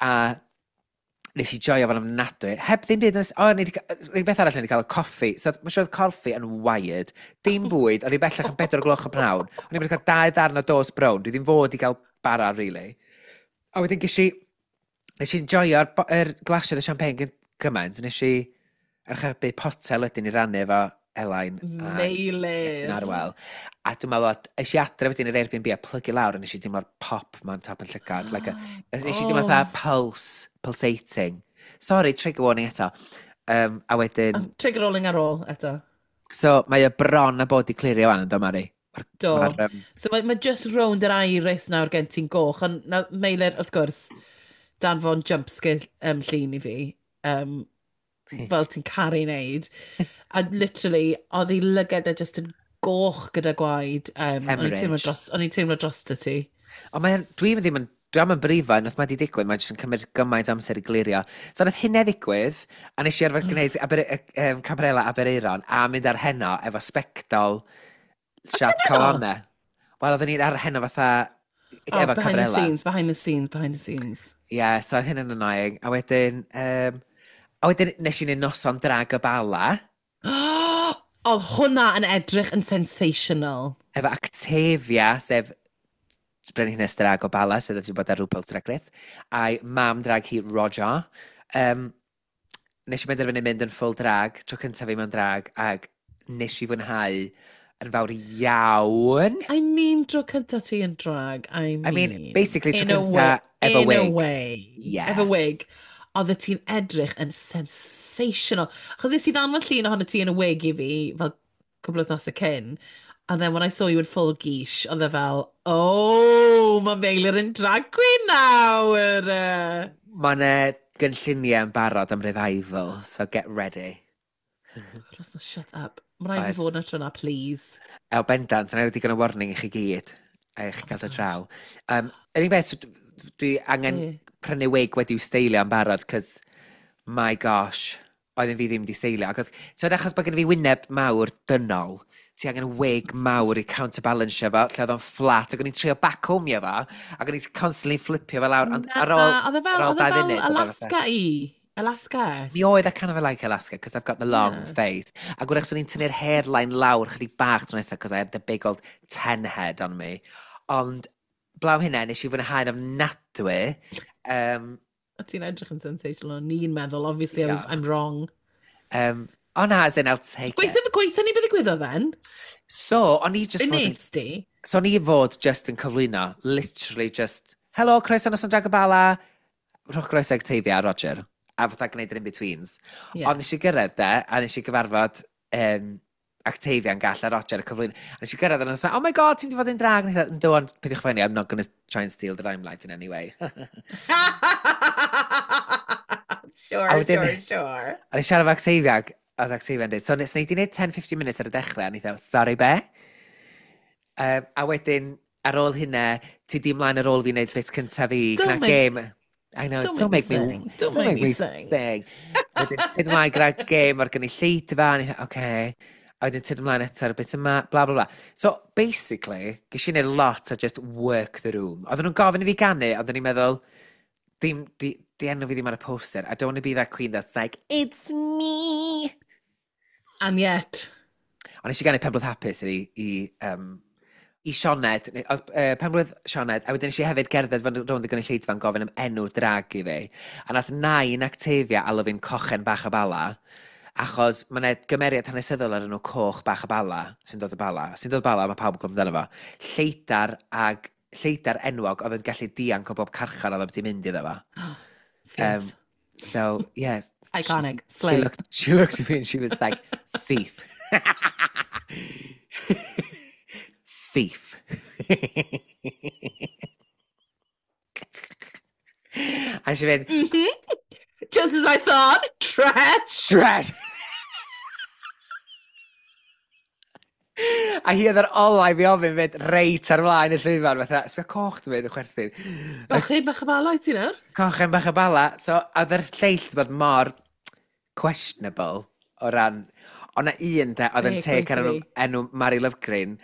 C: A nes i joio fo'n ofnadwy. Heb ddim byd, o, ni 'di ca- yr unig beth arall, ni wedi cael y coffi. So, mae'n siŵr oedd coffi yn wired. Dim bwyd, oedd hi bellach yn bedwar o gloch y pnawn. O'n i'n wedi cael dau ddarn o toast brown. Dwi ddim fod i gael bara, really. A wedyn ges i, nes i enjoyo'r bo- yr glasiad y champagne gyn- gymaint. Nes i archebu potel wedyn i rannu efo Elain a Iestyn
B: Meilir.
C: Arwel. A dwi'n meddwl, es i adre wedyn i'r Airbnb a plygu lawr a nes i deimlo'r pop ma'n top yn llygad. Like a, nes i deimlo
B: Oh.
C: fatha pulse, pulsating. Sorry, trigger warning eto. Um, a wedyn,
B: Trigger rolling ar ôl eto.
C: So mae y bron a bod i clirio wan yn do, Mari? Ma'r-
B: Do.
C: ma'r, um,
B: So mae, mae just rownd yr iris nawr gen ti'n goch, ond na, Meilir, wrth gwrs, danfon jump scare um, llun i fi, um, fel ti'n caru wneud. A literally, oedd ei lygad e just yn goch gyda gwaed. Um, o'n i'n teimlo
C: Hemorrhage.
B: dros, o'n i'n teimlo dros ti.
C: Ond mae'n, dwi'n ddim yn, dwi'n yn brifo, nath mae di digwydd, mae'n jyst yn cymryd gymaint o amser i glirio. So nath hynny ddigwydd, a nes i arfer gwneud Aber, um, Cabarella Aberaeron, a mynd ar heno efo sbectol siap
B: heno?
C: calonau. Wel, oedden ni'n ar heno fatha
B: Oh,
C: efo
B: behind the
C: Cabarella.
B: scenes, behind the scenes, behind the scenes.
C: Ie, yeah, so oedd hynny'n annoying. A wedyn, um, a wedyn nes i wneud noson drag y Bala,
B: Oedd hwnna yn edrych yn sensational.
C: Efo Actavia, sef brenhines drag o Bala, sydd wedi bod ar RuPaul's Drag Race, a'i mam drag hi Roger. Um, nes i benderfynu mynd yn full drag, tro cyntaf fi mewn drag, ac nes i fwynhau yn fawr iawn.
B: I mean, dro cyntaf ti yn drag, I mean.
C: I mean, basically, tro
B: in a
C: cynta
B: way-
C: efo
B: in
C: wig.
B: a way.
C: Yeah.
B: Efo wig. Oedd ti'n edrych yn sensational. Achos nes i ddanfon llun ohono ti yn y wig i fi, fel cwbl o wythnosau cyn. And then when I saw you in full geesh, oedd e fel, "Oh, mae Meilir yn drag queen nawr." Uh.
C: Mae yna gynlluniau yn barod am revival, so get ready.
B: Russell, shut up. Mae rhaid i
C: Oes.
B: fi fod na tro na, please.
C: El bendant, yna wedi digon o warning i chi gyd, a i chi gael dod draw. Um, yr unig beth, so dwi dwi angen
B: Ie.
C: prynu wig wedi'w steilio yn barod, cos, my gosh, oedden fi ddim wedi steilio. Ac oedd, ti'n achos bod gen i fi wyneb mawr dynol, ti angen wig mawr i counterbalance fo, lle oedd o'n flat, ac o'n i'n trio backcombio fo, ac o'n i'n constantly flipio fo lawr, ond ar ôl,
B: Na, oedd e fel,
C: ar ôl
B: oedd e
C: dau
B: fel
C: funud, oedd e fatha-
B: Alaska i. Alaska.
C: Mi oedd e kind of like Alaska, because I've got the long
B: Yeah.
C: face. Ac wrach swn i'n tynnu'r hairline lawr chydig bach tro nesaf, because I had the big old ten head on me. Ond Blaw hynna, nes i fwynhau'n ofnadwy. Um,
B: A ti'n edrych yn sensational, o'n i'n meddwl, obviously I was, I'm wrong.
C: Um, o na, as in, I'll take
B: it. Gweithio, gweithio ni beth ddigwyddodd then?
C: So, o'n i just
B: fod yn... ti?
C: So, o'n i fod just yn cyflwyno, literally just, hello, croeso noson Drag y Bala, rhowch groeso Octavia a Roger, a fatha gwneud yr in-betweens. Yeah. Ond nes i gyrraedd de, a nes i gyfarfod um, Octavia'n gall a Roger y cyflwyno. A nes i gyrraedd a nhw'n oh my god, ti'n mynd i fod yn drag? A nes i ond peidiwch phoeni, I'm not going to try and steal the limelight in any way.
B: sure, a wedyn, sure, sure.
C: A nes i siarad efo Octavia, a oedd Octavia'n dweud, so nes i wneud ten to fifteen minutes ar y dechrau, a nes i sorry be? Um, a wedyn, ar ôl hynna, ti di ymlaen ar ôl fi wneud bit cyntaf fi, gyda game. I know,
B: don't, don't make me sing. Don't, don't make me sing.
C: sing. Wedyn, tyd ymlaen gyda game o'r gynulleidfa, a ni okay. A wedyn tyd ymlaen eto ar y bit yma, bla bla bla. So, basically, ges i wneud lot o just work the room. Oedden nhw'n gofyn i fi ganu, oedden ni'n meddwl, dim, di, di enw fi ddim ar y poster. I don't want to be that queen that's like, it's me.
B: And yet.
C: Ond nes i ganu Penblwydd Hapus i, i, um, i Sioned, uh, Penblwydd Sioned, a wedyn nes i hefyd gerdded fan rownd y gynulleidfa yn gofyn am enw drag i fi. A nath nain Octavia alw fi'n Cochen Bach y Bala, achos mae yna gymeriad hanesyddol ar enw Coch Bach y Bala, sy'n dod o Bala. Sy'n dod o Bala, mae pawb yn gwybod amdano fo. Lleidar ag lleidar enwog oedd yn gallu dianc o bob carchar oedd wedi mynd iddo fo.
B: Um,
C: so, yeah.
B: Iconic.
C: She, Slay. She looked, she looked at me and she was like, thief. Thief. And she went,
B: mm-hmm. Just as I thought, trash.
C: Trash. A hi oedd yr olau fi ofyn fyd reit ar flaen y llwyfan, fatha, sbio coch dwi'n mynd yn chwerthin.
B: Cochen bach y bala i ti nawr?
C: Cochen bach y bala. So, oedd yr lleill wedi bod mor questionable o ran... Ond na un de, oedd yn teg ar enw, enw Mary Lovegreen.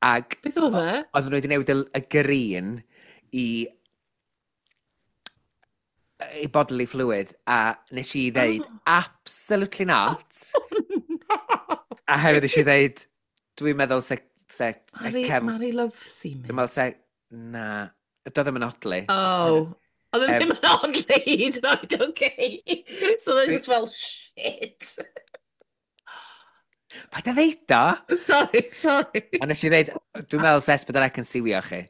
C: Ag,
B: beth oedd e?
C: Oedden nhw wedi newid y, y green i i bodily fluid, a nes i ddeud, oh. absolutely not.
B: Oh, no.
C: A hefyd nes i ddeud, dwi'n meddwl se... se
B: Mary,
C: cefn,
B: Mary Love Seaman.
C: Dwi'n meddwl se... Na. Doedd ddim yn odli.
B: Oh. Oedd um, ddim yn odli, hyd yn oed, okay. So they're just fel, shit.
C: Paid a ddeud o?
B: Sorry, sorry.
C: A nes i ddeud, dwi'n meddwl se S pedwar C yn siwio chi.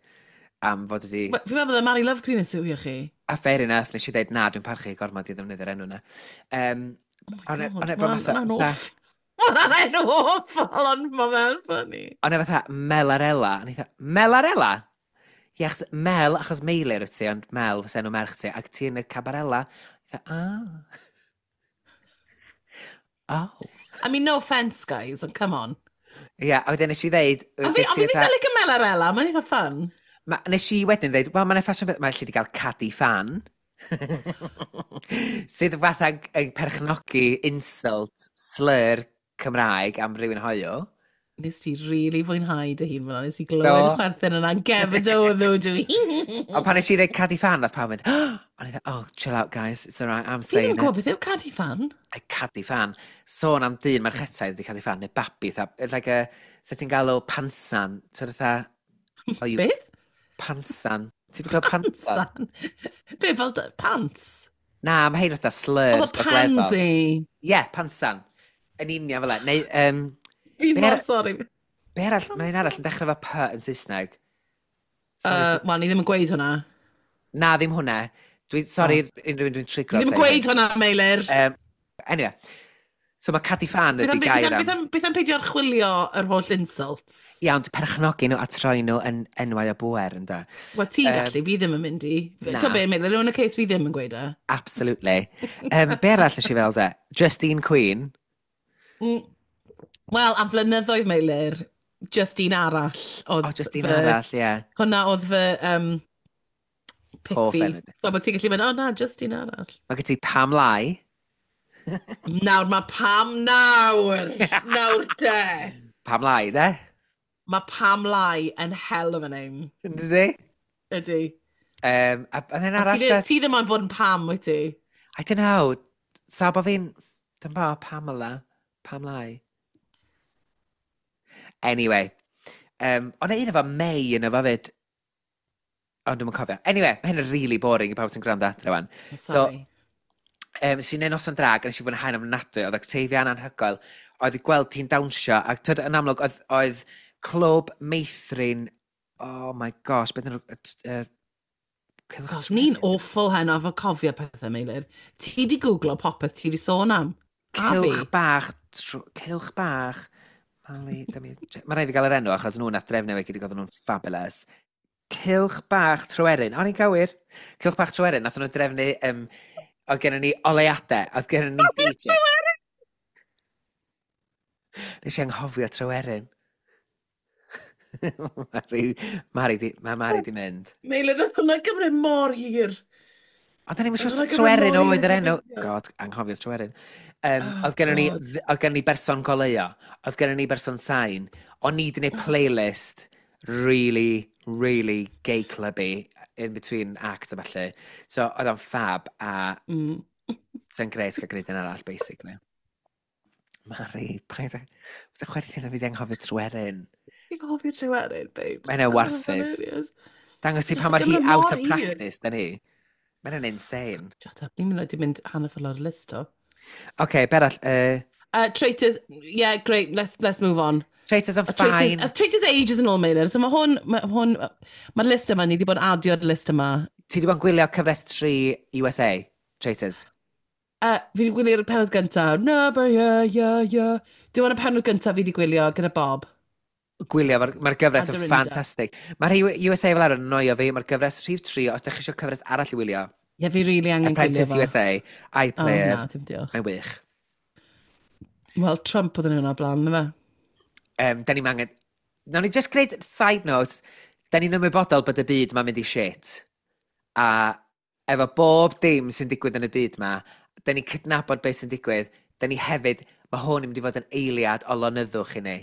C: Am fod wedi...
B: Fi'n meddwl bod Mary Love Green yn siwio chi.
C: A fair enough, nes i ddeud, na, dwi'n parchu gormod i ddefnyddio'r enw na. Um,
B: oh my god, mae'n awful. Mae'n enw awful, ond mae fe'n funny.
C: Ond e fatha Melarella. A ni Melarella? Ie, achos Mel, achos Meilir wyt ti, ond Mel fysa enw merch ti, ac ti yn y Cabarella. Eitha, ah. Oh.
B: I mean, no offence, guys, and come on.
C: Ie, yeah, a wedyn nes i ddeud...
B: A fi, fi'n eitha licio Melarella, mae'n eitha fun.
C: Ma, nes i wedyn ddeud, wel, mae'n ffasiwn beth, mae'n lle di gael Caddy Fan. Sydd fatha yn perchnogi insult, slur Cymraeg am rhywun hoyw.
B: Nes ti really fwynhau dy hun fyna, nes i glywed chwerthin yna, gefyd o ddw dwi.
C: Ond pan nes i ddeud Caddy Fan, nath pawb mynd, oh! O'n i dweud, oh, chill out guys, it's alright, I'm saying it.
B: Fi ddim yn gwybod beth yw Caddy Fan.
C: A Caddy Fan. Sôn am dyn merchetaidd ydi Caddy Fan, neu babi, tha, like a, se ti'n galw pansan, so fatha...
B: Oh, you, beth?
C: Pansan. Ti'n gwybod pansan?
B: Be, fel pants?
C: Na, mae hein fatha slurs.
B: Oh, pansy.
C: Ie, yeah, pansan. Yn union fel e. Neu, um,
B: Fi'n mor sori.
C: Be arall, mae'n un arall yn dechrau efo P yn Saesneg.
B: Uh, Wel, ni ddim yn gweud hwnna.
C: Na, ddim hwnna. Dwi'n, sorry, oh. unrhyw un dwi'n trigro.
B: Ni ddim yn gweud hwnna, Meilir.
C: Um, anyway, so mae Caddy Fan ydi gair am...
B: Beth am, beth am peidio archwilio yr holl insults?
C: Ia, ond perchnogi nhw a troi nhw yn enwau o bwer, ynda.
B: Wel, ti'n um, gallu, fi ddim yn mynd i. Na. Be, Meilir, yn y case fi ddim yn gweud e.
C: Absolutely. Um, be arall nes i fel de? Justine Queen.
B: Mm. Wel, am flynyddoedd, Meilir, Justine arall.
C: Oedd oh, Justine fy, arall, ie. Yeah.
B: Hwna oedd fy um, pick fi. Wel, bod ti'n gallu mynd, oh na, Justine arall.
C: Mae gen ti Pam Lai.
B: Nawr, mae Pam nawr. Nawr de.
C: Pam Lai, de?
B: Mae Pam Lai yn hell of a name.
C: Ydy?
B: Ydy.
C: Um, a, a then arall...
B: Ti, ti ddim ond bod yn Pam, wyt ti?
C: I don't know. Sa bo fi'n... Dwi'n bo, Pamela. Pam Lai. Anyway, um, ond un efo May yn efo fyd. Ond dwi'm yn cofio. Anyway, mae hyn yn really boring i pawb sy'n gwrando adre wan.
B: Sorry.
C: So, um, sy'n neud noson drag, a nes i fwynhau'n ofnadwy, oedd Octavia yn anhygoel, oedd i gweld hi'n dawnsio, ac tyd, yn amlwg, oedd, oedd clwb meithrin, oh my gosh, beth yn uh,
B: Gosh, ni'n awful heno efo cofio pethau, Meilir. Ti di googlo popeth ti di sôn am.
C: A fi. Cylch bach, cylch bach, Mali, mae rhaid fi gael yr enw achos nhw nath drefnu fe gyd i oedden nhw'n fabulous. Cylch bach Tryweryn, o'n i'n gywir? Cylch bach Tryweryn, nath nhw drefnu, um, oedd gennym ni oleuadau, oedd gennym ni D J. Nes i anghofio Tryweryn. Mari, Mari di, mae Mari di mynd.
B: Meilir, nath hwnna gymryd mor hir.
C: Ond da ni'n siŵr Tryweryn oedd yr enw. God, anghofio Tryweryn. Um, oh, oedd gennym ni, oedd gennym ni berson goleuo, oedd gennym ni berson sain. O'n ni di gwneud playlist really, really gay clubby in between acts a falle. So oedd o'n fab a mm. sy'n grêt cael gwneud yn arall, basically. Mari, paid â... Fysa chwerthin a fi di anghofio Tryweryn.
B: Ti'n anghofio Tryweryn, babes.
C: Mae hynny'n warthus. Dangos ti pa mor hi out of practice, da ni. Mae hynny'n insane.
B: Shut up, ni'n mynd i mynd hanner ffordd lawr y list o.
C: Oce, be arall? Uh...
B: Uh, traitors, yeah, great, let's, let's move on.
C: Traitors are fine.
B: Uh, traitors ages yn ôl, Meilir. So mae hwn, mae hwn, mae'r list yma, ni wedi bod yn adio'r list yma.
C: Ti wedi bod yn gwylio cyfres tri U S A, Traitors?
B: Uh, fi wedi gwylio'r pennod gyntaf. No, but yeah, yeah, yeah. Dim ond y pennod gyntaf fi wedi gwylio gyda Bob.
C: Gwylio, mae'r ma gyfres yn ffantastig. Mae'r U S A fel arfer yn annoio fi, mae'r gyfres rhif tri, os ydych chi eisiau cyfres arall i wylio.
B: Ie, yeah, fi really angen gwylio
C: fo. Apprentice U S A, iPlayer.
B: Oh, na, dim diolch.
C: Mae'n wych.
B: Wel, Trump oedd yn hwnna blaen, na fe?
C: Um, da ni'n angen... Nawn ni just gwneud side note, da ni'n ymwybodol bod y byd ma'n mynd i shit. A efo bob dim sy'n digwydd yn y byd ma, da ni'n cydnabod beth sy'n digwydd, da ni hefyd, mae hwn yn mynd i fod yn eiliad o lonyddwch i ni.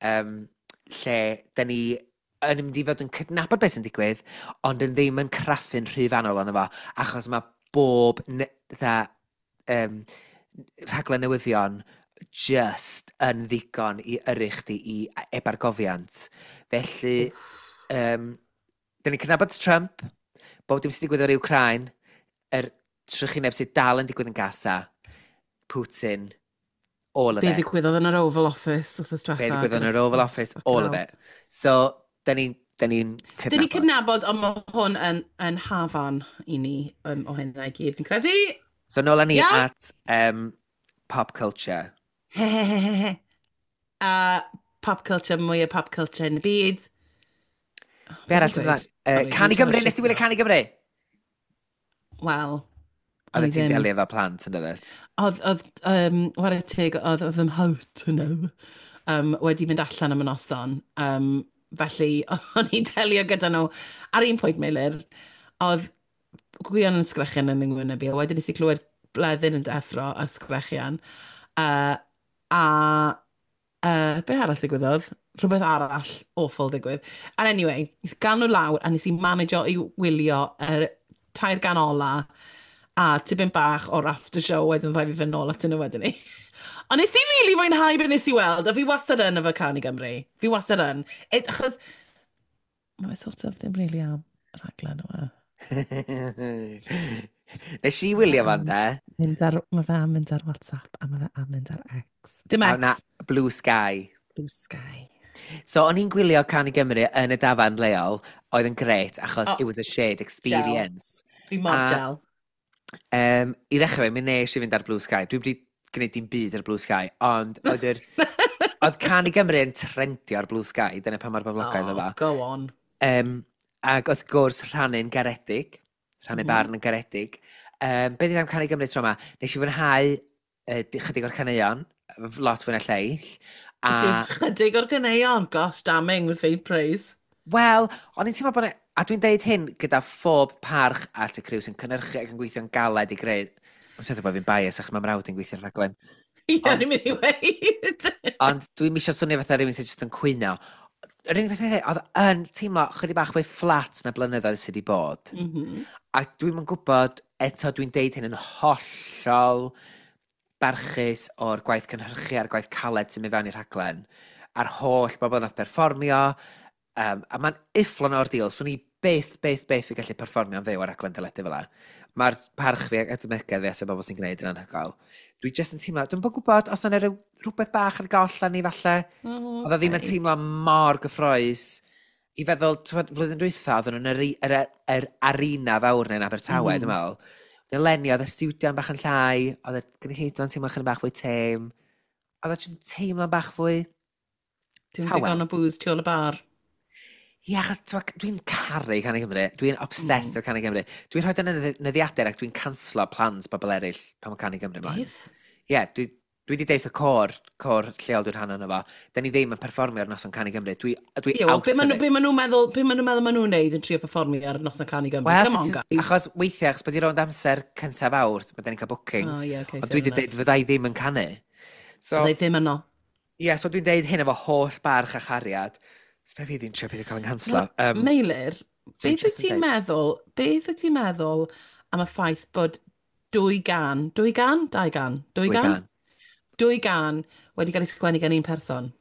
C: Um, lle da ni yn mynd i fod yn cydnabod beth sy'n digwydd, ond yn ddim yn craffu'n rhy fanwl arno fo, achos mae bob ne, dda, um, rhaglen newyddion just yn ddigon i yrru chdi i ebargofiant. Felly, um, da ni'n cydnabod Trump, bob dim sy'n digwydd o'r Ukraine, yr trychineb sydd dal yn digwydd yn Gaza, Putin, all of
B: Be
C: it.
B: Be ddigwyddodd yn yr Oval Office wrth
C: Be ddigwyddodd yn yr Oval Office, all of it. So, da ni'n da ni'n cydnabod.
B: Da ni'n cydnabod, ond mae hwn yn, yn hafan i ni um, o hynna i gyd, fi'n credu.
C: So, nôl â ni
B: yeah.
C: at um, pop culture.
B: uh, pop culture, mwy o pop culture yn y byd. Oh,
C: Be arall sy'n ymlaen? Uh, Canu Gymru, nes ti wylio Canu Gymru?
B: Wel,
C: Oedd ti'n delio efo plant yn dyddet?
B: Oedd, oedd, um, whare teg, oedd fy mhawt nhw um, wedi mynd allan am y noson. Um, felly, o'n i'n delio gyda nhw. Ar un pwynt, Meilir, oedd Gwion yn sgrechian yn yng ngwyneb i, a wedyn nes i clywed Bleddyn yn deffro a sgrechian. Uh, a uh, be arall ddigwyddodd? Rhywbeth arall awful ddigwydd. And anyway, nes i gael nhw lawr a nes i manageo i wylio yr tair gan ola a tipyn bach o'r after show wedyn rhaid fi fynd nôl atyn nhw wedyn ni. Ond nes i really fwynhau be nes i weld, a fi wastad yn efo Canu Gymru. Fi wastad yn. It, achos, mae sort of ddim really am rhaglen yma.
C: Nes i wylio fan de.
B: Mynd ar, mae fe am mynd ar WhatsApp a mae fe am mynd ar X. Dim X.
C: A na, Blue Sky.
B: Blue Sky.
C: So, o'n i'n gwylio Canu Gymru yn y dafarn leol, oedd yn grêt, achos
B: oh,
C: it was a shared experience.
B: Gel. Fi mor gel.
C: Um, I ddechrau, mi nes i fynd ar Blue Sky. Dwi'n wedi gwneud dim byd ar Blue Sky, ond oedd yr... oedd Canu Gymru yn trendio ar Blue Sky, dyna pa mor boblogaidd
B: oh,
C: oedd o.
B: Go on.
C: Um, ac wrth gwrs rhannu'n garedig, rhannu mm. barn yn garedig. Um, be 'di am Canu Gymru tro yma? Nes i fwynhau uh, chydig o'r caneuon, lot fwy na lleill.
B: A... Chydig o'r caneuon, gosh, damning with faint praise.
C: Wel, o'n i'n teimlo bod... A dwi'n deud hyn gyda phob parch at y criw sy'n cynhyrchu ac yn gweithio'n galed i greu... Ond sydd bod fi'n bias achos mae mrawd yn gweithio'r rhaglen.
B: Ie, ni'n mynd i weid.
C: Ond dwi'n misio swnio fatha rhywun sy'n jyst yn cwyno. Yr unig beth oedd yn teimlo chydig bach fwy fflat na blynyddoedd sydd wedi bod.
B: Mm -hmm.
C: A dwi'm yn gwybod, eto dwi'n deud hyn yn hollol barchus o'r gwaith cynhyrchu a'r gwaith caled sy'n mynd fewn i'r rhaglen. A'r holl bobl nath perfformio, Um, a mae'n ufflon o'r deal. Swn i byth, byth, byth yn gallu perfformio'n fyw ar raglen deledu fel 'a. Mae'r parch fi ac edmygedd fi at y bobl sy'n gwneud yn anhygoel. Dwi jyst yn teimlo, dwi'n bod gwybod os yna rhyw, rhywbeth bach ar goll â ni falle.
B: Oh,
C: Oedd o ddim yn
B: okay.
C: teimlo mor gyffrous. I feddwl, t'mod, flwyddyn dwytha, oedden nhw'n yr, yr, yr arena fawr neu'n Abertawe, mm.
B: Mm.
C: dwi'n meddwl. Eleni, oedd y stiwdio'n bach yn llai, oedd y gynulleidfa'n teimlo chydig bach fwy tame. Oedd o jyst yn teimlo'n bach fwy
B: Dim
C: tawel.
B: digon o booze tu ôl y bar.
C: Ie, achos t'mod, dwi'n caru Canu Cymru. Dwi'n obsessed
B: Mm.
C: mm. o Canu Cymru. Dwi'n rhoi yn y nyddiadur ac dwi'n canslo plans bobl eraill pan mae Canu Cymru ymlaen.
B: Beth?
C: Ie, yeah, dwi, dwi wedi deud y côr, côr lleol dwi'n rhan ono fo. Da ni ddim yn perfformio ar noson Canu Cymru. Dwi, dwi
B: Ie, wel,
C: out
B: be
C: of
B: maen nhw-
C: it.
B: be maen nhw'n meddwl, be maen nhw'n meddwl maen nhw'n neud yn trio perfformio ar noson Canu Gymru?
C: Wel,
B: Come on,
C: sut-
B: guys.
C: Achos weithiau, achos bod i rownd amser cyntaf awr, mae da ni'n cael bookings.
B: Oh, ie, okay,
C: Ond dwi wedi deud fydda i ddim yn canu. So,
B: Fydda i ddim yno.
C: ie, yeah, so dwi'n deud hyn efo holl barch a chariad. So be fi ddim trio peidio cael yng nghanslo. Um,
B: Meilir,
C: so dwi
B: beth wyt
C: jyst yn
B: ti'n
C: deud-
B: meddwl, beth wyt ti'n meddwl am y ffaith bod dwy gan, dwy gan? Dau gan? Dwy
C: Dwy
B: gan?
C: gan.
B: Dwy gan wedi cael ei sgwennu gan un person.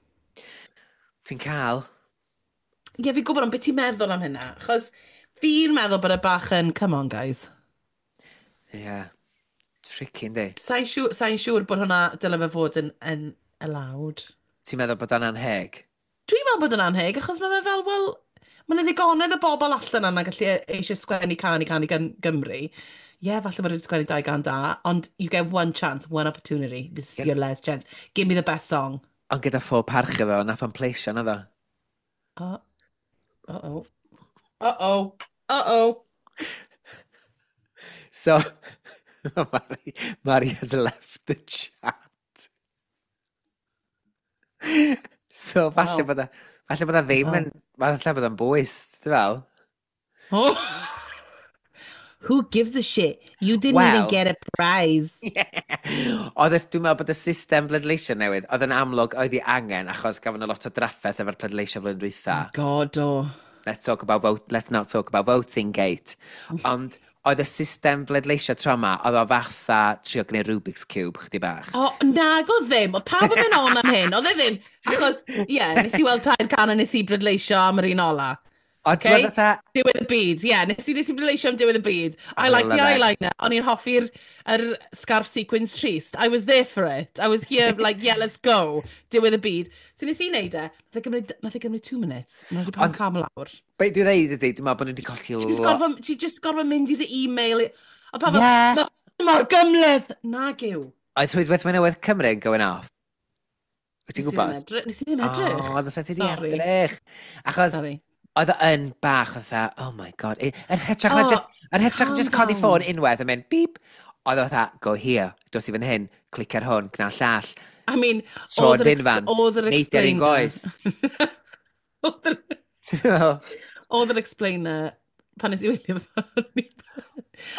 C: Ti'n cael?
B: Ie, fi'n gwybod, ond beth ti'n meddwl am hynna? Achos fi'n meddwl bod y bach yn, come on, guys.
C: Ie. Yeah. Tricky, yndi?
B: Sa'n siŵr, sa siŵr bod hwnna dyle fe fod yn, yn allowed.
C: Ti'n meddwl bod o'n anheg?
B: Dwi'n meddwl bod yn anheg, achos mae fe fel, wel, mae yna ddigonedd o bobl allan yna gallu eisiau sgwennu cân i Canu Gym- Gymru. Ie, yeah, falle bod wedi sgwennu dau gan da, ond you get one chance, one opportunity. This is
C: Ie.
B: your last chance. Give me the best song.
C: Ond gyda phob parch iddo, nath o'n pleisio, naddo?
B: Oh, uh-oh. Uh-oh. Uh-oh.
C: So, Mari, Mari has left the chat. So, falle
B: Wow.
C: bod o, falle bod o ddim
B: Wow.
C: yn, falle bod o'n bwys, ti'n fel?
B: Oh. Who gives a shit? You didn't even
C: Wel.
B: get a prize.
C: Oedd y, dwi'n meddwl bod y system bleidleisio newydd, oedd yn amlwg oedd ei angen, achos gafon nhw lot o drafferth efo'r pleidleisio flwyddyn dwytha.
B: God, oh.
C: Let's talk about vote, let's not talk about voting gate. Ond oedd y system bleidleisio tro yma, oedd o fatha trio gwneud Rubik's Cube, chydig bach.
B: O, nag o ddim. Oedd pawb yn mynd on am hyn. Oedd e ddim. Achos, ie, yeah, nes i weld tair can a nes i brydleisio am yr un ola.
C: Ond ti'n
B: Okay.
C: meddwl fatha,
B: Diwedd y byd, ie. Yeah, nes i, nes i brydleisio am diwedd y byd. I
C: I
B: like the
C: love it.
B: eyeliner. O'n i'n hoffi'r yr scarf sequins trist. I was there for it. I was here like, yeah, let's go. Diwedd y byd. So nes i wneud e. Nath e gymryd, nath e gymryd two minutes. Nath e pawb
C: Ond-
B: cam lawr.
C: be dwi'n dweud ydy, dwi'n meddwl bod nhw wedi colli
B: Ti just
C: lot.
B: gorfod, ti just gorfod mynd i dy e-mail. A pawb fel,
C: Ie.
B: "Ma- mor gymhleth. Nag yw.
C: Oedd rhwydwaith Newydd Cymru yn going off? Wyt ti'n
B: Nes i ddim
C: gwybod?
B: edrych- Nes i ddim edrych.
C: O, oedd ti wedi
B: Sorry.
C: edrych. Achos
B: Sorry.
C: oedd o yn bach fatha, oh my God. I- Yn hytrach na
B: Oh,
C: just, yn hytrach na
B: calm
C: just codi
B: down.
C: ffôn unwaith yn mynd beep. Oedd o fatha, go here, dos i fan hyn, clic ar hwn, gwna llall.
B: I mean,
C: Tro
B: oedd yr ex-
C: dinfan,
B: oedd yr
C: neidio ar un
B: explainer.
C: goes.
B: Oedd yr-
C: Ti'n meddwl?
B: Oedd yr explainer pan nes i wylio fo.